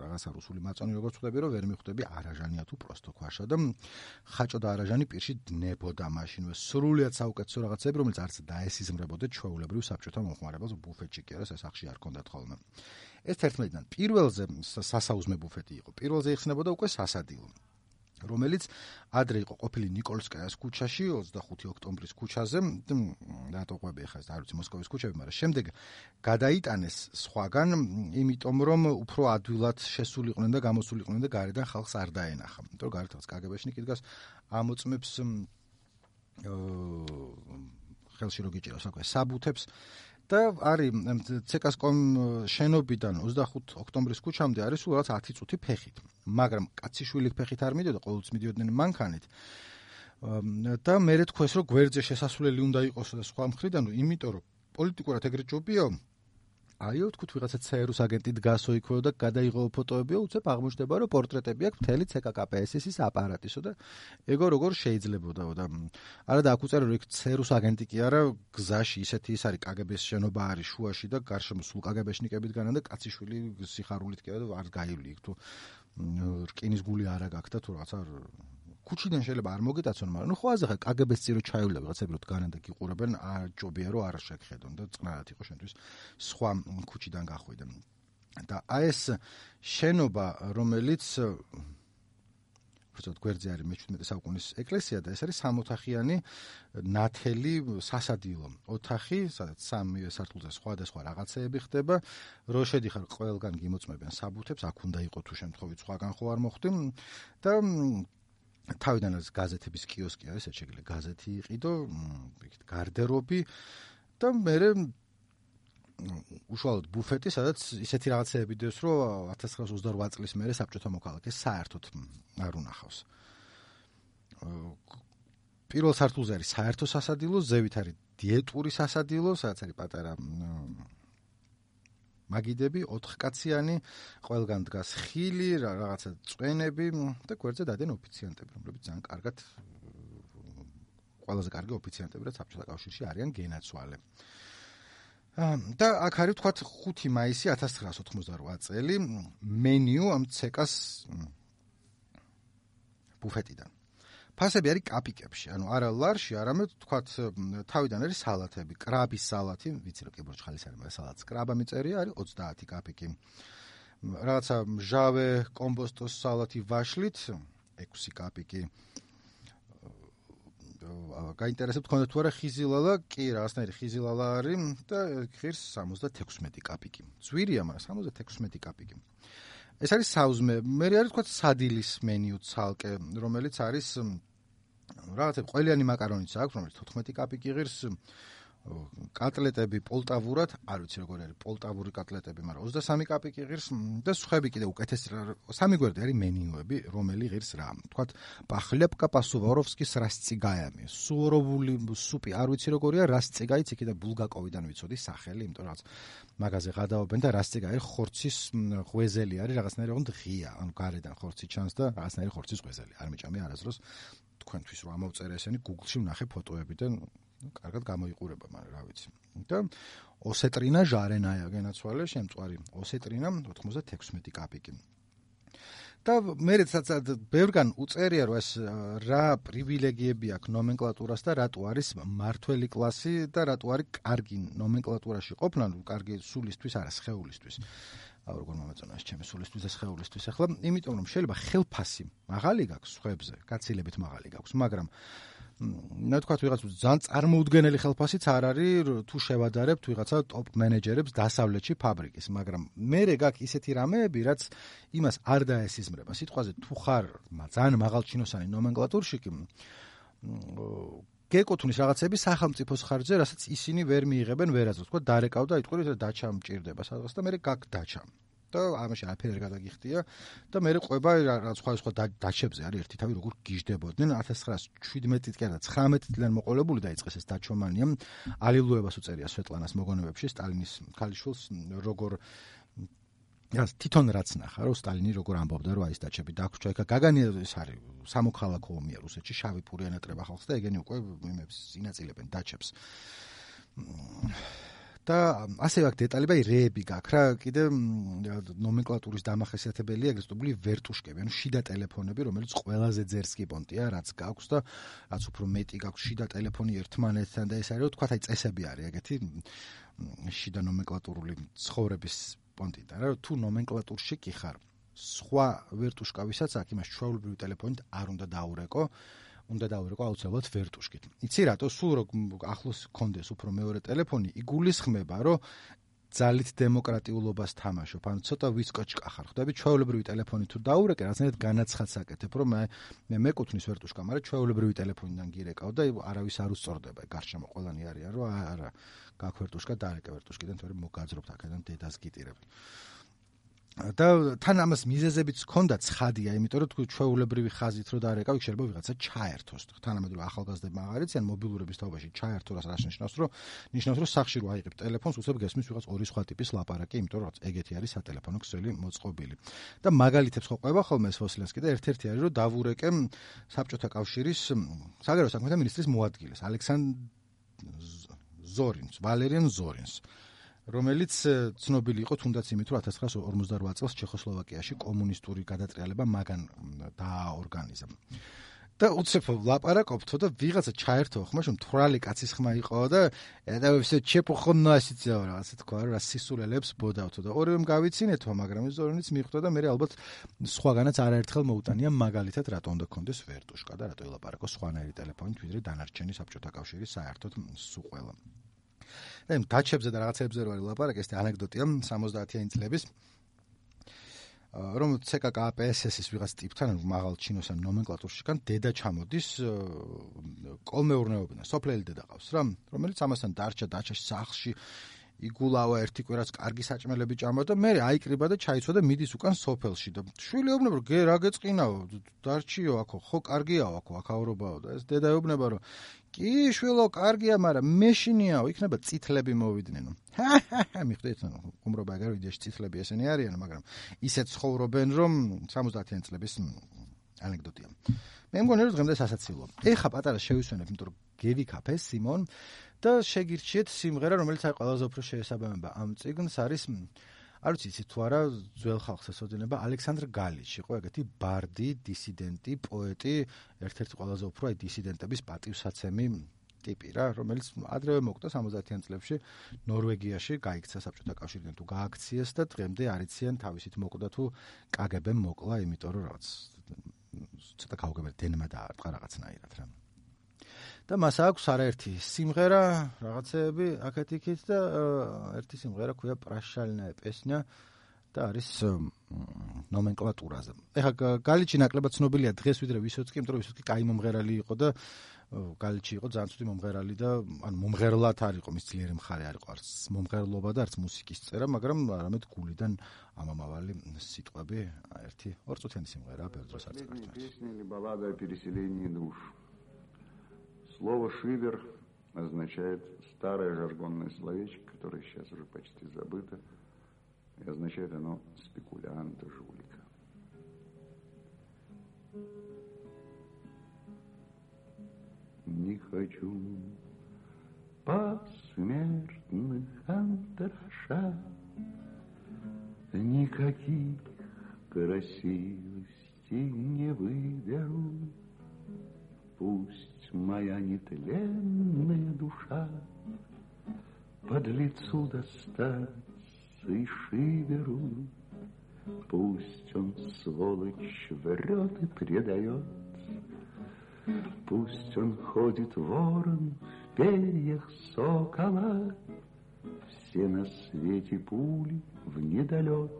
რაღაცა რუსული მაწონი როგორც ხვდები, რომ ვერ მიხვდები არაჟანია თუ პროსტო კვაშა და ხაჭო და არაჟანი პირში დნებოდა მაშინვე. სრულიად საუკეთესო რაღაცები, რომელიც არც დაესიზმრებოდა ჩვეულებრივ საბჭოთა მომხმარებელს, ბუფეტში კი არა, სასახში არ ჰქონდათ ხოლმე. ეს 11-დან პირველზე სასაუზმე ბუფეტი იყო. პირველზე იხსნებოდა უკვე სასადილო, რომელიც ადრე იყო ყოფილი ნიკოლსკაიას ქუჩაში, 25 ოქტომბრის ქუჩაზე, რატო ყვები ახლა ეს არ ვიცი მოსკოვის ქუჩები, მაგრამ შემდეგ გადაიტანეს სხვაგან, იმიტომ რომ უფრო ადვილად შესულიყვნენ და გამოსულიყვნენ და გარედან ხალხს არ დაენახა. იმიტომ რომ გარეთ რაღაც კგბ-შნიკი დგას, ამოწმებს ხელში რო გიჭირავს აკვე საბუთებს და არის CKSCOM შენობიდან 25 ოქტომბრის ქუჩამდე არის სულ რაღაც 10 წუთი ფეხით. მაგრამ კაციშვილი ფეხით არ მიდიოდა, ყოველთვის მიდიოდნენ მანქანით. და მე თქვეს რომ გვერდზე შესასვლელი უნდა იყოსო და სხვა მხრიდან, იმიტომ რომ პოლიტიკურად ეგრე ჯობიო, აიო თქვით ვიღაცა ЦРУ-ს აგენტი დგასო იქო და გადაიღო ფოტოებიო, უცებ აღმოჩნდება რომ პორტრეტები აქვს მთელი CKKPS-ის აპარატისო და ეგო როგორ შეიძლებოდა და არა და აქ უწერე რომ იქ ЦРУ-ს აგენტი კი არა, გზაში ისეთი ის არის KGB-ს შენობა არის შუაში და გარშემო სულ KGB-შნიკებით განან და კაციშვილი სიხარულით კი არა არ გაივლი იქ თუ რკინის გული არა გაქვს და თუ რაღაცა ქუჩიდან შეიძლება არ მოგიტაცონ, მაგრამ ხო აზახა KGB-ს წირო ჩაივლა ვიღაცები რომ დგანან და გიყურებენ, ჯობია რომ არ შეგხედონ და წნარად იყო შენთვის სხვა ქუჩიდან გახვიდე. და აი ეს შენობა, რომელიც უბრალოდ გვერდზე არის მე-17 საუკუნის ეკლესია და ეს არის 3 ოთახიანი ნათელი სასადილო ოთახი, სადაც 3 სართულზე სხვადასხვა რაღაცეები ხდება, რო შედიხარ ყველგან გიმოწმებენ საბუთებს, აქ უნდა იყო თუ შემთხვევით სხვაგან ხო არ მოხვდი და თავიდან ეს გაზეთების კიოსკი არის, ეს შეიძლება გაზეთი იყიდო, იქით გარდერობი და მე უშუალოდ ბუფეტი, სადაც ისეთი რაღაცეები დევს, რომ 1928 წლის მერე საბჭოთა მოქალაქეს საერთოდ არ უნახავს. პირველ სართულზე არის საერთო სასადილო, ზევით არის დიეტური სასადილო, სადაც არის პატარა მაგიდები, 4 კაციანი, ყველგან დგას ხილი, რაღაცა წვენები და გვერდზე დადიან ოფიციანტები, რომლებიც ძალიან კარგად ყველაზე კარგი ოფიციანტები, რაც საბჭოთა კავშირში არიან გენაცვალე. და აქ არის თქვათ 5 მაისი 1988 წელი მენიუ ამ CK-ს ბუფეტიდან. ფასები არის კაპიკებში, ანუ არა ლარში, არამედ თქვათ თავიდან არის სალათები, კრაბის სალათი, ვიცი რომ კიბორჩხალის არის, მაგრამ სალათს კრაბა მიწერია, არის 30 კაპიკი. რაღაცა მჟავე კომბოსტოს სალათი ვაშლით 6 კაპიკი. გაინტერესებთ თქვენ თუ არა ხიზილალა, კი რაღაცნაირი ხიზილალა არის და ხირს 76 კაპიკი. ძვირია, მაგრამ 76 კაპიკი. ეს არის საუზმე, მე არის თქვა სადილის მენიუ ცალკე, რომელიც არის რაღაცა ყველიანი მაკარონიც აქვს, რომელიც 14 კაპიკი ღირს, კატლეტები პოლტავურად, არ ვიცი როგორ არის პოლტავური კატლეტები, მაგრამ 23 კაპიკი ღირს და სხვები კიდე უკეთეს სამი გვერდი არის მენიუები, რომელი ღირს რა. Თქვათ, პახლეპკა პასუვაროვსკის რასწიგაიამი, სუვოროვული სუპი, არ ვიცი როგორია, რასწიგაიც იქიდან ბულგაკოვიდან ვიცოდი სახელი, იმიტომ რაღაც მაგაზე გადაობენ და რასწიგაი ხორცის ღვეზელი არის, რაღაცნაირი ოღონდ ღია, ანუ გარედან ხორცი ჩანს და რაღაცნაირი ხორცის ღვეზელი. არ მიჭამია არასდროს თქვენთვის რომ ამოვწერე ესენი Google-ში ვნახე ფოტოები და კარგად გამოიყურება, მაგრამ რა ვიცი. და ოსეტრინა ჟარენაია გენაცვალე, შემწვარი ოსეტრინა 96 კაპიკი. და მე ცაცად ბევრგან უწერია რომ ეს რა პრივილეგიები აქვს ნომენკლატურას და რატო არის მართველი კლასი და რატო არის კარგი ნომენკლატურაში ყოფნა, კარგი სულისთვის არა, სხეულისთვის. როგორ მომეწონა ეს ჩემი სულისთვის და სხეულისთვის ახლა, იმიტომ რომ შეიძლება ხელფასი მაღალი გაქვს სხვებზე, გაცილებით მაღალი გაქვს, მაგრამ თქვათ ვიღაც ძალიან წარმოუდგენელი ხელფასიც არ არის თუ შევადარებთ ვიღაცა ტოპ მენეჯერებს დასავლეთში ფაბრიკის, მაგრამ მერე გაქვს ისეთი რამეები, რაც იმას არ დაესიზმრება. სიტყვაზე თუ ხარ ძალიან მაღალჩინოსანი ნომენკლატურში კი გეკუთვნის რაღაცები სახელმწიფოს ხარჯზე, რასაც ისინი ვერ მიიღებენ ვერასდროს. თქვა დარეკავდა, იტყვი რომ დაჩა მჭირდება სადღაც და მერე გაქვს დაჩა. და ამაში არაფერი არ გადაგიხდია და მე ყვება რა სხვა დაჩებზე არის ერთი თავი როგორ გიждდებოდნენ 1917 კი არა 19-დან მოყოლებული დაიწყეს ეს დაჩომანია ალილუებას უწერია სვეტლანას მოგონებებში სტალინის ქალიშვილს როგორ თვითონ რაც ნახა რომ სტალინი როგორ ამბობდა რომ აი ეს დაჩები დაგვრჩა ეკა გაგანია ეს არის სამოქალაქო ომია რუსეთში შავი პური ანატრება ხალხს და ეგენი უკვე იმებს ინაწილებენ დაჩებს და ასევე აქ დეტალები რეები გაქვს რა კიდე ნომენკლატურის დამახასიათებელია ეგრეთ წოდებული ვერტუშკები ანუ შიდა ტელეფონები რომელიც ყველაზე ძერსკიპონტია რაც გაქვს და რაც უფრო მეტი გაქვს შიდა ტელეფონი ერთმანეთთან და ეს არის რომ თქვა აი წესები არის ეგეთი შიდა ნომენკლატურული ცხოვრების პონტიდან რა თუ ნომენკლატურში კი ხარ სხვა ვერტუშკავისაც აქ იმას ჩვეულებრივი ტელეფონით არ უნდა დაურეკო უნდა დაურეკო აუცილებლად ვერტუშკით. იცი რატო სულ რო ახლოს კონდეს უფრო მეორე ტელეფონი იგულისხმება რომ ძალით დემოკრატიულობას თამაშობ. ანუ ცოტა ვისკოჩკა ხარ. ხვდები ჩვეულებრივი ტელეფონი თუ დაურეკე რაღაცნაირად განაცხადს აკეთებ რომ მე მეკუთვნის ვერტუშკა, მაგრამ ჩვეულებრივი ტელეფონიდან გირეკავ და არავის არ უსწორდება. გარშემო ყველანი არიან რომ არა გაქვს ვერტუშკა დარეკე ვერტუშკიდან თორე მოგაძრობთ აქედან დედას გიტირებთ. და თან ამას მიზეზებიც ჰქონდა ცხადია, იმიტომ რომ თქვი ჩვეულებრივი ხაზით რო დაარეკავ, იქ შეიძლება ვიღაცა ჩაერთოს. თანამედროვე ახალგაზრდებმა აღარ იციან მობილურების თაობაში ჩაერთო რას ნიშნავს, რომ სახში რო აიღებ ტელეფონს, უცებ გესმის ვიღაც ორი სხვა ტიპის ლაპარაკი, იმიტომ რომ ეგეთი არის სატელეფონო ქსელი მოწყობილი. და მაგალითებს ხო ყვება ხოლმე ეს ვოსილენსკი და ერთ-ერთი არის რომ დავურეკე საბჭოთა კავშირის საგარეო საქმეთა მინისტრის მოადგილეს, ვალერიან ზორინს. რომელიც ცნობილი იყო თუნდაც იმით, რომ 1948 წელს ჩეხოსლოვაკიაში კომუნისტური გადატრიალება მაგან დააორგანიზა. და უცებ ლაპარაკობთო და ვიღაცა ჩაერთო ხმაში, მთვრალი კაცის ხმა იყო და ესე ჩეპოხონასიცა რაღაცა თქვა, რა სისულელებს ბოდავთო და ორივემ გავიცინეთო, მაგრამ ეს ზორინიც მიხვდა და მე ალბათ სხვაგანაც არაერთხელ მოუტანია მაგალითად რატო უნდა კონდეს ვერტუშკა და რატო ელაპარაკო სხვანაირი ტელეფონით, ვიდრე დანარჩენი საბჭოთა კავშირის საერთოდ სულ ყველა. და იმ დაჩებზე და რაღაცებზე რო არის ლაპარაკი, ეს ანეკდოტია 70-იანი წლების რომ CKKPSS-ის ვიღაც ტიპთან მაღალ ჩინოსან ნომენკლატურშიკან დედა ჩამოდის კოლმეურნეობიდან, სოფლელი დედა ყავს რა, რომელიც ამასთან დარჩა დაჩაში სახლში იგულავა ერთი კვირას კარგი საჭმელები ჭამა და მე აიკრიბა და ჩაიცვა და მიდის უკან სოფელში და შვილი ეუბნება რომ რა გეწყინაო დარჩიო აქო ხო კარგიაო აქო აქაურობაო და ეს დედა ეუბნება რომ კი შვილო კარგია მაგრამ მეშინიაო იქნება წითლები მოვიდნენ მიხვდით უმრობა ეგარ ვიდეოში წითლები ესენი არიან მაგრამ ისეთ ცხოვრობენ რომ 70-იანი წლების ანეკდოტია მე მგონი რომ დღემდე სასაცილო ეხა პატარა შევისვენებ იმიტომ რომ გევიქაფე სიმონ და შეგირჩიეთ სიმღერა რომელიც არის ყველაზე უფრო შეესაბამება ამ წიგნს არის არ ვიცი იცით თუ არა ძველ ხალხს ესოდინება ალექსანდრ გალიჩი იყო ეგეთი ბარდი, დისიდენტი, პოეტი, ერთ-ერთი ყველაზე უფრო აი დისიდენტების პატივსაცემი ტიპი რა, რომელიც ადრევე მოკვდა 70-იან წლებში ნორვეგიაში გაიქცა საბჭოთა კავშირიდან თუ გააქციეს და დღემდე არ იციან თავისით მოკვდა თუ კგბ-მ მოკლა, იმიტომ რომ რაღაც ცოტა გაუგებარი დენმა დაარტყა რაღაცნაირად რა. და მას აქვს არაერთი სიმღერა, რაღაცეები აქეთ-იქით და ერთი სიმღერა ქვია პრაშალნაე პესნია და არის ნომენკლატურაზე. ეხლა გალიჩი ნაკლებად ცნობილია დღეს ვიდრე ვისოცკი, იმიტომ რომ ვისოცკი კაი მომღერალი იყო და გალიჩი იყო ძალიან ცუდი მომღერალი და ანუ მომღერლად არ იყო, მის ძლიერი მხარე არ იყო, არც მომღერლობა და არც მუსიკის წერა, მაგრამ არამედ გულიდან ამამავალი სიტყვები, ერთი 2 წუთიანი სიმღერაა, ბევრ დროს არ წერს. Песня или баллада о переселении душ. Слово «шивер» означает старое жаргонное словечко, которое сейчас уже почти забыто, и означает оно спекулянта, жулика. Не хочу посмертных антраша, никаких красивостей не выберу. Пусть моя нетленная душа под лицу достаться и шиверу. Пусть он, сволочь, врет и предает. Пусть он ходит ворон в перьях сокола. Все на свете пули в недолет.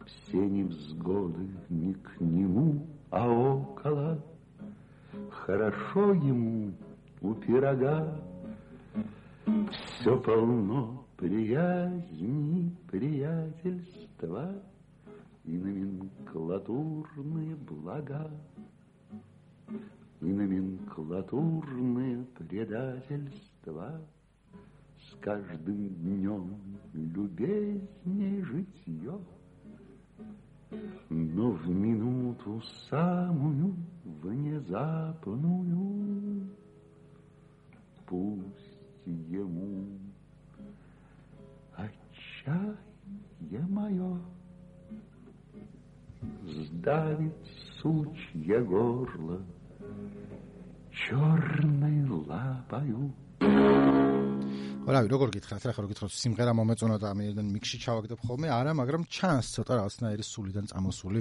Все невзгоды не к нему, а около. Хорошо ему у пирога. Все полно приязни, приятельства и номенклатурные блага. И номенклатурные предательства. С каждым днем любезней житье. Но в минуту самую внезапную пусть ему отчаяние мое сдавит сучье горло черной лапою. რავი, როგორ გითხრათ, რა ხო გითხრათ, სიმღერა მომეწონა და ამიდან მიქსში ჩავაგდებ ხოლმე, არა, მაგრამ ჩანს ცოტა რაღაცნაირი სულიდან წამოსული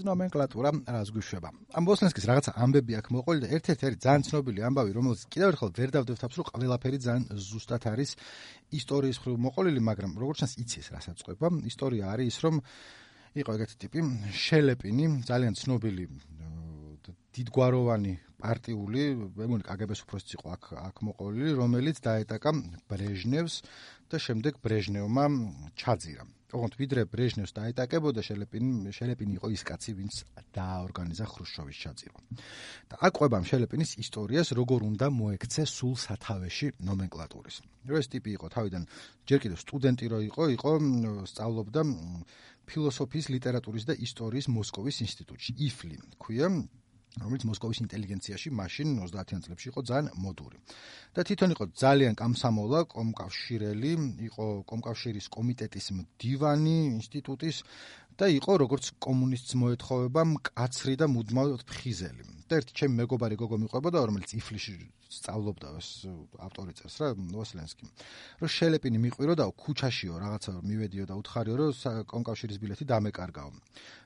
ნომენკლატურა, რაც გვიშვება. ამ ბოსლენსკის რაღაცა ამბები აქვს მოყოლი და ერთ-ერთი არის ძალიან ცნობილი ამბავი, რომელიც კიდევ ერთხელ ვერ დავდებ თავს, რომ ყველაფერი ძალიან ზუსტად არის ისტორიის მხრივ მოყოლილი, მაგრამ როგორც ჩანს იცის რასაც ყვება. ისტორია არის ის, რომ იყო ეგეთი ტიპი, შელეპინი, ძალიან ცნობილი დიდგვაროვანი პარტიული, მეგონი კგბ-ს უფროსიც იყო აქ მოყოლილი, რომელიც დაეტაკა ბრეჟნევს და შემდეგ ბრეჟნევმა ჩაძირა. ოღონდ ვიდრე ბრეჟნევს დაეტაკებოდა, შელეპინი იყო ის კაცი, ვინც დააორგანიზა ხრუშჩოვის ჩაძირვა. და აქ ყვება შელეპინის ისტორიას, როგორ უნდა მოექცე სულ სათავეში ნომენკლატურის. რომ ეს ტიპი იყო თავიდან ჯერ კიდევ სტუდენტი რო იყო სწავლობდა ფილოსოფიის, ლიტერატურის და ისტორიის მოსკოვის ინსტიტუტში, იფლი ქვია, რომელიც მოსკოვის ინტელიგენციაში მაშინ 30-იან წლებში იყო ძალიან მოდური. და თვითონ იყო ძალიან კამსამოლა, კომკავშირელი, იყო კომკავშირის კომიტეტის მდივანი ინსტიტუტის და იყო როგორც კომუნისტს მოეთხოვება მკაცრი და მუდმივად ფხიზელი. და ერთი ჩემი მეგობარი გოგო მიყვებოდა, რომელიც იფლიში სწავლობდა, ავტორი წერს რა, ვოსლენსკი. რომ შელეპინი მიყვიროდაო, ქუჩაშიო რაღაცა მივედიო და უთხარიო, რომ კომკავშირის ბილეთი დამეკარგაო.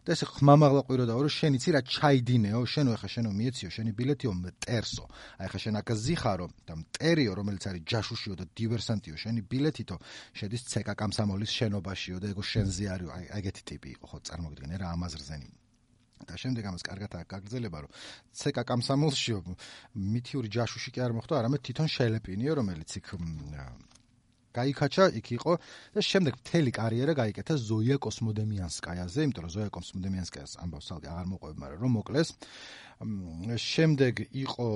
და ესე ხმამაღლა ყვიროდაო, რომ შენ იცი რა ჩაიდინეო, შენო ეხა შენო მიეციო, შენი ბილეთიო მტერსო. აი ეხა შენ აქ ზიხარო და მტერიო, რომელიც არის ჯაშუშიო და დივერსანტიო, შენი ბილეთითო შედის ცეკა კამსამოლის შენობაშიო და ეგო შენზე არისო, აი ეგეთი ტიპი იყო, ხო წარმოგიდგენე რა ამაზრზენი. და შემდეგ ამას კარგად გაგრძელება, რომ ცეკა კამსამოლშიო მითიური ჯაშუში კი არ მოხდა, არამედ თვითონ შელეპინიო, რომელიც იქ გაიქაჩა, იქ იყო და შემდეგ მთელი კარიერა გაიკეთა ზოია კოსმოდემიანსკაიაზე, იმიტომ რომ ზოია კოსმოდემიანსკაიას ამბავს სალდი აღარ მოყვება, მაგრამ რომ მოკლეს. შემდეგ იყო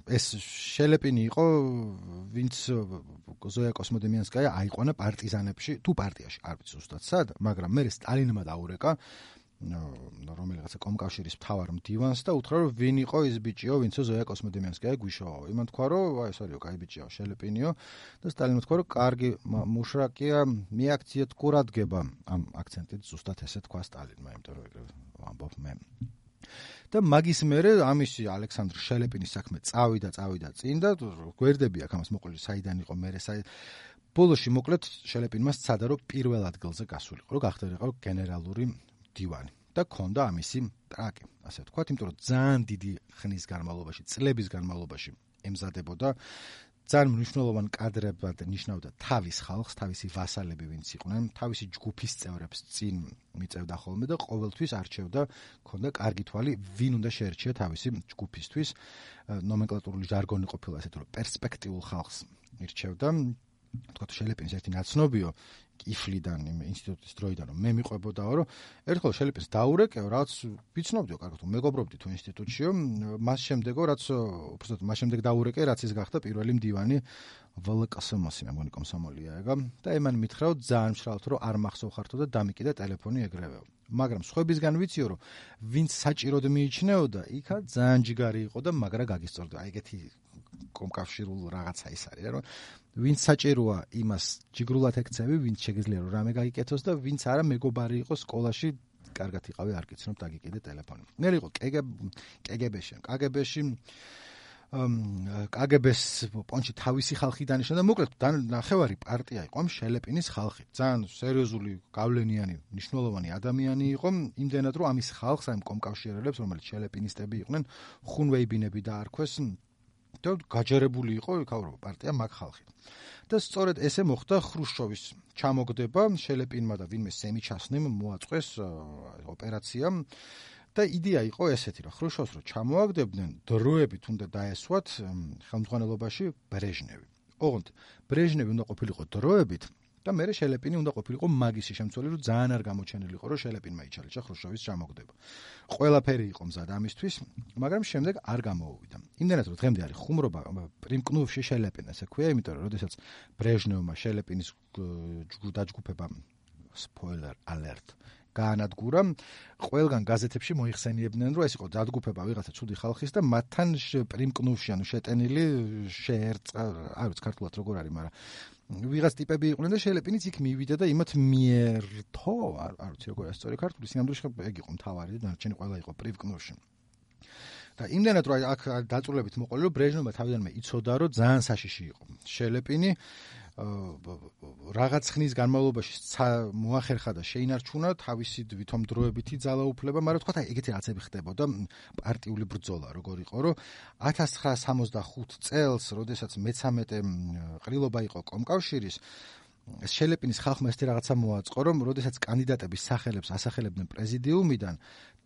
ეს შელეპინი იყო, ვინც ზოია კოსმოდემიანსკაია აიყვანა პარტიზანებში, თუ პარტიაში, არ ვიცი ზუსტად სად, მაგრამ მე სტალინმა დაურეკა რომელიღაცა კომკავშირის მთავარ მდივანს და უთხრა, რომ ვინ იყო ის ბიჭიო, ვინცო ზოია კოსმოდემიანსკაია გვიშოვაო. იმან თქვა, რომ აი ეს არისო, კაი ბიჭიო, შელეპინიო და სტალინმა თქვა, რომ კარგი მუშრაკია, მიაქციეთ კურადგება. ამ აქცენტით ზუსტად ესე თქვა სტალინმა, იმიტომ რომ ეგრე ვამბობ მე. და მაგის მერე ამისი ალექსანდრ შელეპინის საქმე წავიდა წინ და გვერდები აქ ამას მოყოლი საიდან იყო მერე ბოლოში მოკლედ შელეპინმა სცადა, რომ პირველ ადგილზე გასულიყო, რომ გახდერიყო გენერალური დივანი და ქონდა ამისი ტრაკი, ასე ვთქვათ, იმიტომ რომ ძალიან დიდი ხნის განმავლობაში, წლების განმავლობაში ემზადებოდა ძალიან მნიშვნელოვან კადრებად ნიშნავდა თავის ხალხს, თავისი ვასალები ვინც იყვნენ, თავისი ჯგუფის წევრებს წინ მიწევდა ხოლმე და ყოველთვის არჩევდა, ქონდა კარგი თვალი, ვინ უნდა შეერჩია თავისი ჯგუფისთვის. ნომენკლატურული ჟარგონი ყოფილა ესეთი, რომ პერსპექტიულ ხალხს ირჩევდა. თქვათ შელეპინის ერთი ნაცნობიო კიფლიდან იმ ინსტიტუტის დროიდან რომ მე მიყვებოდაო რომ ერთხელ შელეპინს დაურეკეო რაც ვიცნობდიო კარგად რომ მეგობრობდი თუ ინსტიტუტშიო მას შემდეგო რაც უბრალოდ მას შემდეგ დაურეკე რაც ის გახდა პირველი მდივანი ვლკსმ-ს მე მგონი კომსომოლია ეგა და ემან მითხრაო ძალიან მშრალთ რომ არ მახსოვხართო და დამიკიდა ტელეფონი ეგრევე მაგრამ სხვებისგან ვიციო რომ ვინც საჭიროდ მიიჩნეოდა იქა ძალიან ჯიგარი იყო და მაგრა გაგისწორდა აი ეგეთი კომკავშირულ რაღაცა ის არის რა რომ ვინც საჭიროა იმას ჯიგრულად ეკცევი, ვინც შეგიძლია რომ რამე გაიკეთოს და ვინც არა მეგობარი იყოს სკოლაში, კარგად იყავი, არ გიცნობ დაგიკიდე ტელეფონი. მე იყო კგბ-ს პონჩი თავისი ხალხი დანიშნა და მოკლედ ნახევარი პარტია იყო შელეპინის ხალხი. ძალიან სერიოზული, გავლენიანი, მნიშვნელოვანი ადამიანი იყო, იმდენად რომ ამის ხალხს, ამ კომკავშირელებს, რომელიც შელეპინისტები იყვნენ, ხუნვეიბინები დაარქვეს. და გაჯერებული იყო იქაურობა პარტია მაგ ხალხი. და სწორედ ესე მოხდა ხრუშჩოვის ჩამოგდება შელეპინმა და ვინმე სემიჩასნიმ მოაწყვეს ოპერაცია და იდეა იყო ესეთი რომ ხრუშჩოვს რო ჩამოაგდებდნენ დროებით უნდა დაესვათ ხელმძღვანელობაში ბრეჟნევი. ოღონდ ბრეჟნევი უნდა ყოფილიყო დროებით და მერე შელეპინი უნდა ყოფილიყო მაგისი შემცველი რომ ძალიან არ გამოჩენილიყო რომ შელეპინმა იჩალიჩა ხრუშჩოვის ჩამოგდება. ყველაფერი იყო მზად ამისთვის, მაგრამ შემდეგ არ გამოუვიდა. იმდენად რომ დღემდე არის ხუმრობა პრიმკნუვში შელეპინა, ესე ქვია, იმიტომ რომ როდესაც ბრეჟნევმა შელეპინის დაჯგუფება spoiler alert გაანადგურა, ყველგან გაზეთებში მოიხსენიებდნენ, რომ ეს იყო დაჯგუფება ვიღაცა ცუდი ხალხის და მათთან პრიმკნუვში ანუ შეტენილი შეერწყა, არ ვიცი ქართულად როგორ არის, მაგრამ ვიღაც ტიპები იყვნენ და შელეპინიც იქ მივიდა და იმათ მიერტო, არ ვიცი როგორ არის სწორი ქართული, სინამდვილეში ეგ იყო მთავარი და დანარჩენი ყველა იყო პრიმკნუვში. და იმდენად რომ აქ დაწურლებით მოყოლი რომ ბრეჟნევმა თავიდანვე იცოდა რომ ძალიან საშიში იყო შელეპინი რაღაც ხნის განმავლობაში მოახერხა და შეინარჩუნა თავისი ვითომ დროებითი ძალაუფლება, მაგრამ თქვა ეგეთი რაღაცები ხდებოდა პარტიული ბრძოლა როგორ იყო რომ 1965 წელს როდესაც მე-13 ყრილობა იყო კომკავშირის შელეპინის ხალხმა ეს რაღაცა მოაწყო რომ როდესაც კანდიდატების სახელებს ასახელებდნენ პრეზიდიუმიდან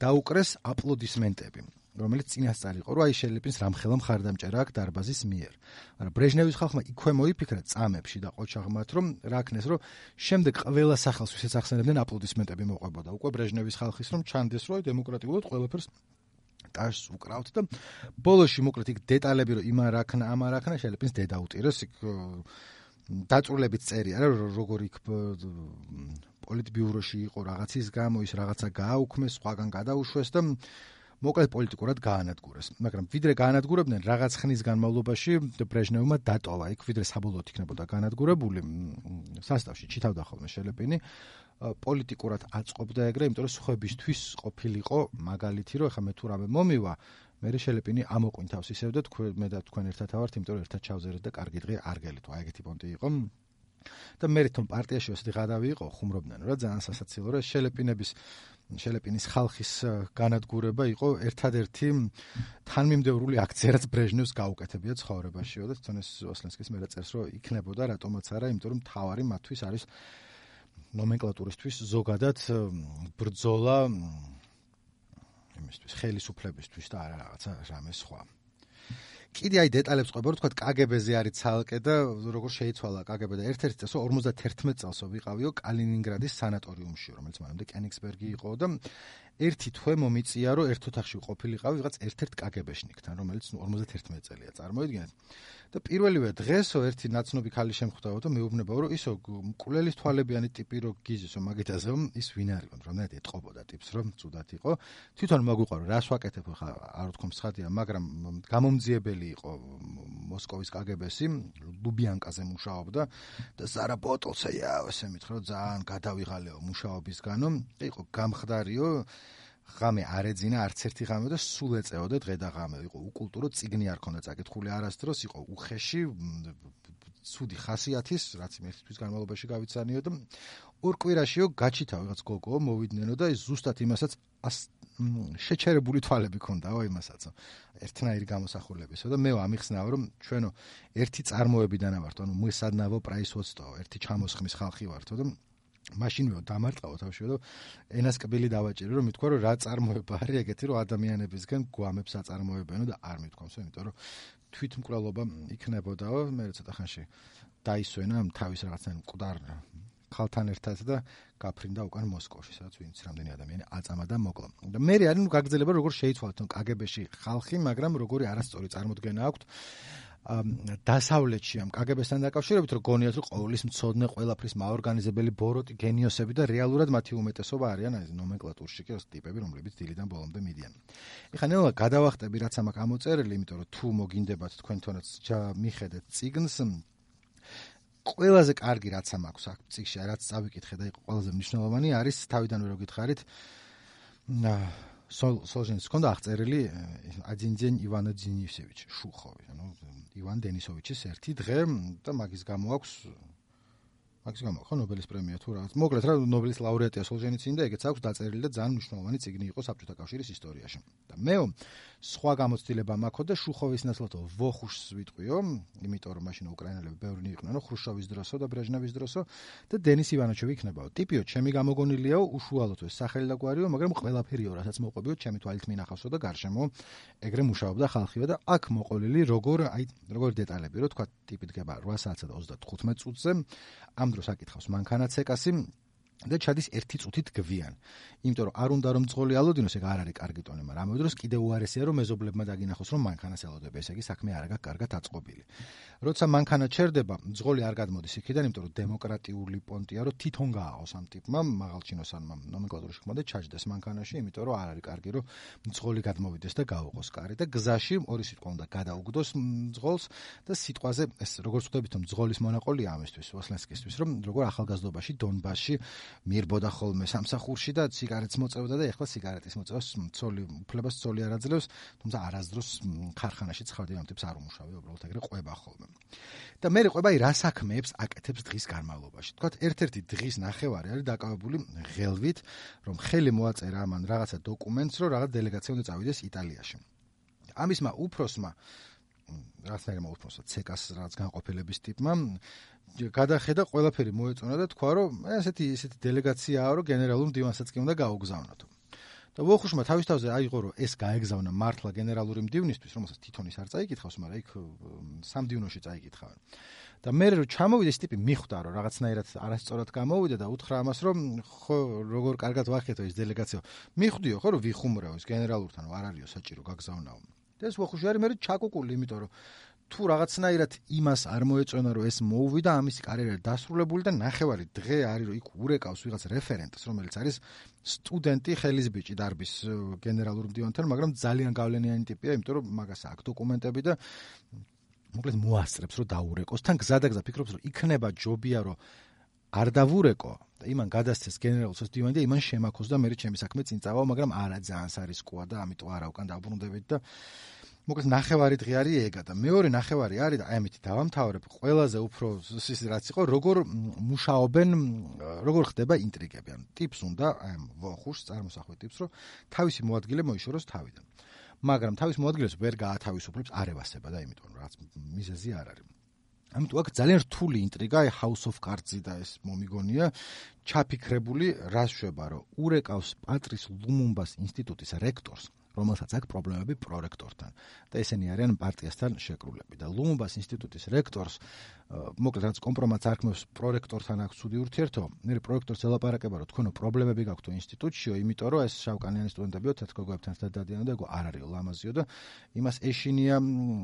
დაუკრეს აპლოდისმენტები რომელიც წინასწარ იყო რომ აი შელეპინს რამხელა მხარდამჭერა აქვს დარბაზის მიერ. მაგრამ ბრეჟნევის ხალხმა იქვე მოიფიქრა წამებში და ყოჩაღმათ რომ რა ქნეს რომ შემდეგ ყველა სახელს ვისაც ახსენებდნენ აპლოდისმენტები მოყვებოდა. უკვე ბრეჟნევის ხალხის რომ ჩანდეს რომ დემოკრატიულად ყველაფერს ტაშს უკრავთ და ბოლოში მოკლედ იქ დეტალები რომ იმან რა ქნა, ამან რა ქნა შელეპინს დედა უწირეს იქ დაწურლებით წერია რა როგორ იქ პოლიტბიუროში იყო რაღაცის გამო ის რაღაცა გააუქმეს, სხვაგან გადაუშვეს და მოკლედ პოლიტიკურად გაანადგურეს. მაგრამ ვიდრე გაანადგურებდნენ რაღაც ხნის განმავლობაში ბრეჟნევმა დატოვა იქ ვიდრე საბოლოოდ იქნებოდა გაანადგურებული სასტავში ჩითავდა ხოლმე შელეპინი პოლიტიკურად აწყობდა ეგრე, იმიტომ რომ სხვებისთვის ყოფილიყო მაგალითი რომ ეხა მე თუ რამე მომივა მე შელეპინი ამოყვინ თავს ისევ და მე და თქვენ ერთად ავართ, იმიტომ რომ ერთად ჩავზერეთ და კარგი დღე არ გელით. აი ეგეთი პონტი იყო. და მე თვითონ პარტიაში ესეთი გადავი იყო, ხუმრობდნენ რა ძალიან სასაცილო რა შელეპინის ხალხის განადგურება იყო ერთადერთი თანმიმდევრული აქცია რაც ბრეჟნევს გაუკეთებია ცხოვრებაშიო და თვითონ ეს ოსლენსკის მე წერს რომ იქნებოდა რატომაც არა, იმიტომ რომ თავარი მათთვის არის ნომენკლატურისთვის ზოგადად ბრძოლა იმისთვის ხელისუფლებისთვის და არა რაღაცა რამე სხვა. კიდე აი დეტალებს ყვება რომ თქვა კგბ-ზე არის ცალკე და როგორ შეიცვალა კგბ და ერთ-ერთი წელს 51 წელსო ვიყავიო კალინინგრადის სანატორიუმში რომელიც მანამდე კენიგსბერგი იყო და ერთი თვე მომიწია რომ ერთ ოთახში ყოფილიყავი ვიღაც ერთ-ერთ კგბ-შნიკთან რომელიც 51 წელია წარმოიდგინეთ და პირველივე დღესო ერთი ნაცნობი ქალი შემხვდაო და მეუბნებაო რომ ისო მკვლელის თვალებიანი ტიპი რო გიზისო მაგითაზე ის ვინ არის რამდენად ეტყობოდა ტიპს რომ ცუდად იყო თვითონ მოგვიყვარო რას ვაკეთებ ხა არ ვთქვი მსხადია მაგრამ გამომძიებელი იყო მოსკოვის კგბ-სი ლუბიანკაზე მუშაობდა და ზარა ბოტოლსეა ესე მითხრა ძალიან გადავიღალეო მუშაობისგანო იყო გამხდარიო ღამე არ ეძინა არც ერთი ღამე და სულ ეწეოდა დღე და ღამე იყო უკულტურო წიგნი არ ქონდა წაკითხული არასდროს იყო უხეში ცუდი ხასიათის რაც მე თვის განმავლობაში გავიცანიო და ორ კვირაშიო გაჩითა ვიღაც გოგო მოვიდნენ და ის ზუსტად იმასაც შეჩერებული თვალები ქონდაო იმასაც. ერთნაირი გამოსახულებისო და მე ამიხსნაო რომ ჩვენო ერთი წარმოებიდან ვართ, ანუ мы с одного производства, ერთი ჩამოსხმის ხალხი ვართო და მაშინვე დამარტყავ თავშევ და ენას კბილი დავაჭირო რომ მithქვა რომ რა წარმოება არის ეგეთი რომ ადამიანებისგან გვამებს აწარმოებენო და არ მithქვამსო, იმიტომ რომ თვითმკვლელობა იქნებოდაო, მე ცოტა ხანში დაისვენა თავის რაღაცნაირ მკვდარ ხალთან ერთად და გაფრინდა უკან მოსკოვში, სადაც ვინც რამდენი ადამიანი აწამა და მოკლა. და მე არის გაგრძელება როგორ შეიცვალეთ თონ კგბ-ში ხალხი, მაგრამ როგორი არასწორი წარმოდგენა აქვს დასავლეთში ამ კგბ-სთან დაკავშირებით, რომ გონიათ რომ ყოვლის მცოდნე, ყველაფრის მაორგანიზებელი ბოროტი გენიოსები და რეალურად მათი უმეტესობა არიან აი ნომენკლატურში კი ტიპები, რომლებიც დილიდან ბოლომდე მიდიან. ეხლა ნელა გადავახტები რაც ამ გამოწერილი, იმიტომ რომ თუ მოგინდებათ თქვენთანაც მიხედეთ წიგნს ყველაზე კარგი რაც აქვს აქ წიგნში, რაც წავიკითხე და იყო ყველაზე მნიშვნელოვანი არის თავიდანვე რო გითხარით სოლჟენიცის ჰქონდა აღწერილი აძინძენ ივანა ძინისევიჩი შუხოვი, ანუ ივან დენისოვიჩის ერთი დღე და მაგის გამო აქვს ხო ნობელის პრემია თუ რაღაც. მოკლედ რა ნობელის ლაურეატია სოლჟენიცინი და ეგეც აქვს დაწერილი და ძალიან მნიშვნელოვანი წიგნი იყო საბჭოთა კავშირის ისტორიაში. და მეო სხვა გამოცდილება მაქვს და შუხოვის ნაცვლად ვოხუშს ვიტყვიო, იმიტომ რომ მაშინ უკრაინელები ბევრი იყვნენ, ხრუშჩოვის დროსო და ბრეჟნევის დროსო და დენის ივანოჩევი იქნებაო. ტიპიო, ჩემი გამოგონილიაო, უშუალოდ ეს სახელი და გვარიო, მაგრამ ყველაფერიო, რასაც მოყვებიო, ჩემი თვალით მინახავსო და გარშემო ეგრე მუშაობდა ხალხიო და აქ მოყოლილი როგორ დეტალები, რო თქვა ტიპი დგება 8 საათსა და 35 წუთზე, ამ დროს აკითხავს მანქანაცეკასი და ჩადის 1 წუთით გვიან. იმიტომ რომ არ უნდა რომ ძღოლი ალოდინოს, ეგ არ არის კარგი ტონი, მაგრამ ამ დროს კიდევ უარესია რომ მეზობლებმა დაგინახოს რომ მანქანას ელოდებ, ესე იგი საქმე არ აქვს კარგად აწყობილი. როცა მანქანა ჩერდება, ძღოლი არ გადმოდის იქიდან, იმიტომ რომ დემოკრატიული პონტია, რომ თვითონ გააყოს ამ ტიპმა, მაღალჩინოსანმა ნომენკლატურის ხმოდა ჩაჯდეს მანქანაში, იმიტომ რომ არ არის კარგი რომ ძღოლი გადმოვიდეს და გაუყოს კარი და გზაში ორი სიტყვა უნდა გადაუგდოს ძღოლს და სიტყვაზე ეს როგორც ვხვდებით რომ ძღოლის მონაყოლია ამისთვის, ვოსლენსკისთვის, რომ როგორ ახალგაზრდობაში დონბასში მირბოდა ხოლმე სამსახურში და სიგარეტს მოწევდა და ეხლა სიგარეტის მოწევას უფლებას ცოლი არ აძლევს, თუმცა არასდროს ქარხანაში ცხადია ამ ტიპს არ უმუშავია, უბრალოდ ეგრე ყვება ხოლმე. და მე ყვება რა საქმეებს აკეთებს დღის განმავლობაში. თქვათ ერთ-ერთი დღის ნახევარი არის დაკავებული ღელვით, რომ ხელი მოაწერა ამან რაღაცა დოკუმენტს, რომ რაღაც დელეგაცია უნდა წავიდეს იტალიაში. ამისმა უფროსმა რაღაცნაირმა უფროსმა ცეკას რაღაც განყოფილების ტიპმა გადახედა ყველაფერი მოეწონა და თქვა რომ ესეთი დელეგაციაა რომ გენერალურ მდივანსაც კი უნდა გაუგზავნოთ. და ვოხუშმა თავის თავზე აიღო რომ ეს გაეგზავნა მართლა გენერალური მდივნისთვის, რომელსაც თვითონ ის არ წაიკითხავს, მაგრამ იქ სამდივნოში წაიკითხავენ. და მე რომ ჩამოვიდა ეს ტიპი მიხვდა რომ რაღაცნაირად არასწორად გამოვიდა და უთხრა ამას რომ ხო როგორ კარგად ვახეთო ეს დელეგაცია. მიხვდიო ხო რომ ვიხუმრაო ეს გენერალურთან არ არისო საჭირო გაგზავნაო. და ეს ვოხუში არის მე ჩაკუკული, იმიტომ რომ თუ რაღაცნაირად იმას არ მოეწონა რომ ეს მოუვიდა, ამისი კარიერა დასრულებული და ნახევარი დღე არის რომ იქ ურეკავს ვიღაც რეფერენტს, რომელიც არის სტუდენტი ხელისბიჭი დარბის გენერალურ მდივანთან, მაგრამ ძალიან გავლენიანი ტიპია, იმიტომ რომ მაგას აქვს დოკუმენტები და მოკლედ მოასწრებს რომ დაურეკოს. თან გზადაგზა ფიქრობს რომ იქნება ჯობია რომ არ დავურეკო და იმან გადასცეს გენერალურს მდივანი და იმან შემაქოს და მე ჩემი საქმე წინ წავა, მაგრამ არა ძალიან სარისკოა და ამიტომ არა უკან დავბრუნდებით და მოკლედ ნახევარი დღე არის ეგა და მეორე ნახევარი არის და აი ამით დავამთავრებ. ყველაზე უფრო ის რაც იყო როგორ მუშაობენ, როგორ ხდება ინტრიგები. ანუ ტიპს უნდა აი ამ ვოხუშს წარმოსახვე ტიპს რომ თავისი მოადგილე მოიშოროს თავიდან. მაგრამ თავის მოადგილეს ვერ გაათავისუფლებს არევასება და იმიტომ რომ რაც მიზეზი არ არის. ამიტომ აქ ძალიან რთული ინტრიგა, აი House of Cards-ი და ეს მომიგონია, ჩაფიქრებული რას შვება რომ ურეკავს პატრის ლუმუმბას ინსტიტუტის რექტორს, რომელსაც აქვს პრობლემები პრორექტორთან და ესენი არიან პარტიასთან შეკრულები და ლუმუმბას ინსტიტუტის რექტორს მოკლედ რაც კომპრომატს არქმევს პრორექტორთან აქვს ცუდი ურთიერთობა. მე პრორექტორს ელაპარაკება რომ თქვენო პრობლემები გაქვთ ინსტიტუტშიო, იმიტომ რომ ეს შავკანიანი სტუდენტებიო თეთრგოგოებთან დადიან და ეგო არ არის ლამაზიო და იმას ეშინია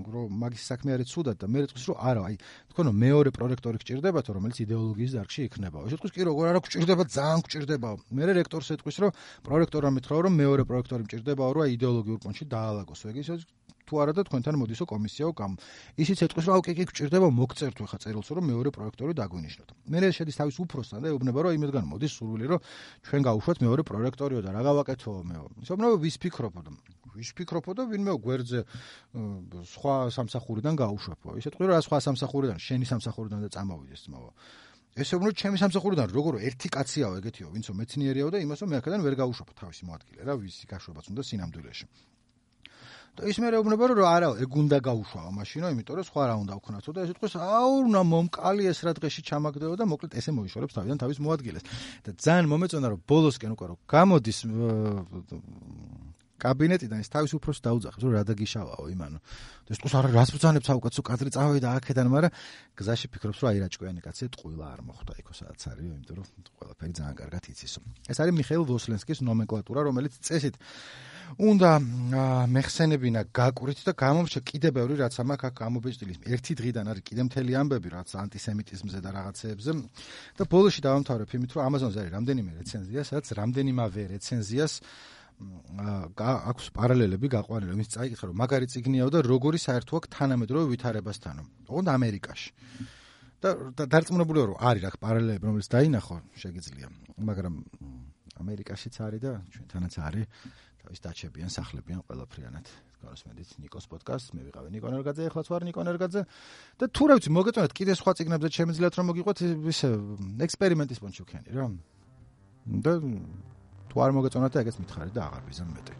რომ მაგის საქმე არის ცუდად და მე რეთქვის რომ არა, აი თქვენო მეორე პრორექტორი გჭირდებათო, რომელიც იდეოლოგიის დარგში იქნებაო. ეს ეთქვის კი როგორ არა გჭირდება, ძალიან გჭირდებაო. მე რექტორს ეთქვის რომ პრორექტორმა მითხრა რომ მეორე პრორექტორი მჭირდებაო, რომ იდეოლოგიურ პონჩში დაალაგოს. ეგ ის თუ არა და თქვენთან მოდისო კომისიაო გამ. ისიც ეთქვის რომ კი გჭირდება მოგწერთ ხა წერილს რომ მეორე პროექტორი დაგვინიშნოთ. მე შედის თავის უფროსთან და ეუბნება რომ იმედგან მოდის სურვილი რომ ჩვენ გავუშვათ მეორე პროექტორიო და რა გავაკეთო მეო. ისობნო ვის ფიქრობო და ვინმე გვერდზე სხვა სამსახურიდან გაუშვებო. ისე თქვი რომ რა სხვა სამსახურიდან, შენი სამსახურიდან და წამოვიდეს ძმაო. ესე უნდა ჩემი სამსახურიდან როგორ ერთი კაციაო ეგეთიო, ვინცო მეცნიერიაო და იმასო მე აქედან ვერ გაუშვებ თავისი მოადგილე რა, ვისი გაშვებაც უნდა სინამდვილეში. და ის მე ეუბნება რომ არა, ეგ უნდა გაუშვაო მაშინო, იმიტომ რომ სხვა რა უნდა ვქნათო და ეს იტყვის, აუ, უნდა მომკალი ეს რა დღეში ჩამაგდეო და მოკლედ ესე მოიშორებს თავიდან თავის მოადგილეს. და ძალიან მომეწონა რომ ბოლოსკენ უკვე რომ გამოდის კაბინეტიდან ის თავის უფროსს დაუძახებს, რომ რა დაგიშავაო იმანო. და ეს თქოს არა, რას ბრძანებს აუკაცო კადრი წავიდა აქედან, მაგრამ გზაში ფიქრობს, რომ აი რა ჭკვიანი კაცია, ტყუილა არ მოხვდა იქო სადაც არისო, იმიტომ რომ ყველაფერი ძალიან კარგად იცისო. ეს არის მიხეილ ვოსლენსკის ნომენკლატურა, რომელიც წესით უნდა მეხსენებინა გაკვირით და გამომრჩა კიდე ბევრი რაც ამაკ აქ გამობეჭდილის. ერთი დღიდან არის კიდე მთელი ამბები რაც ანტისემიტიზმზე და რაღაცეებზე. და ბოლოში დავამთავრებ იმით, რომ Amazon-ზე არის რამდენიმე რეცენზია, სადაც რამდენიმავე რეცენზიას აქვს პარალელები გაყვანილი, იმის წაიკითხა რომ მაგარი წიგნიაო და როგორი საერთო აქვს თანამედროვე ვითარებასთანო. ოღონდ ამერიკაში. და დარწმუნებულია რომ არის რა პარალელები რომელიც დაინახო შეგიძლია, მაგრამ ამერიკაშიც არის და ჩვენთანაც არის. ის დაჩებიან, სახლებიან ყველაფრიანად. გასმედით ნიკოს პოდკასტს, მე ვიყავი ნიკო ნერგაძე, ეხლაც ვარ ნიკო ნერგაძე. და თუ რა ვიცი, მოგეწონათ კიდე სხვა წიგნებზე შემიძლიათ რომ მოგიყვეთ ისე ექსპერიმენტის პონჩუქიანი რა. და თუ არ მოგეწონათ და ეგეც მითხარით და აღარ ვიზამ მეტი.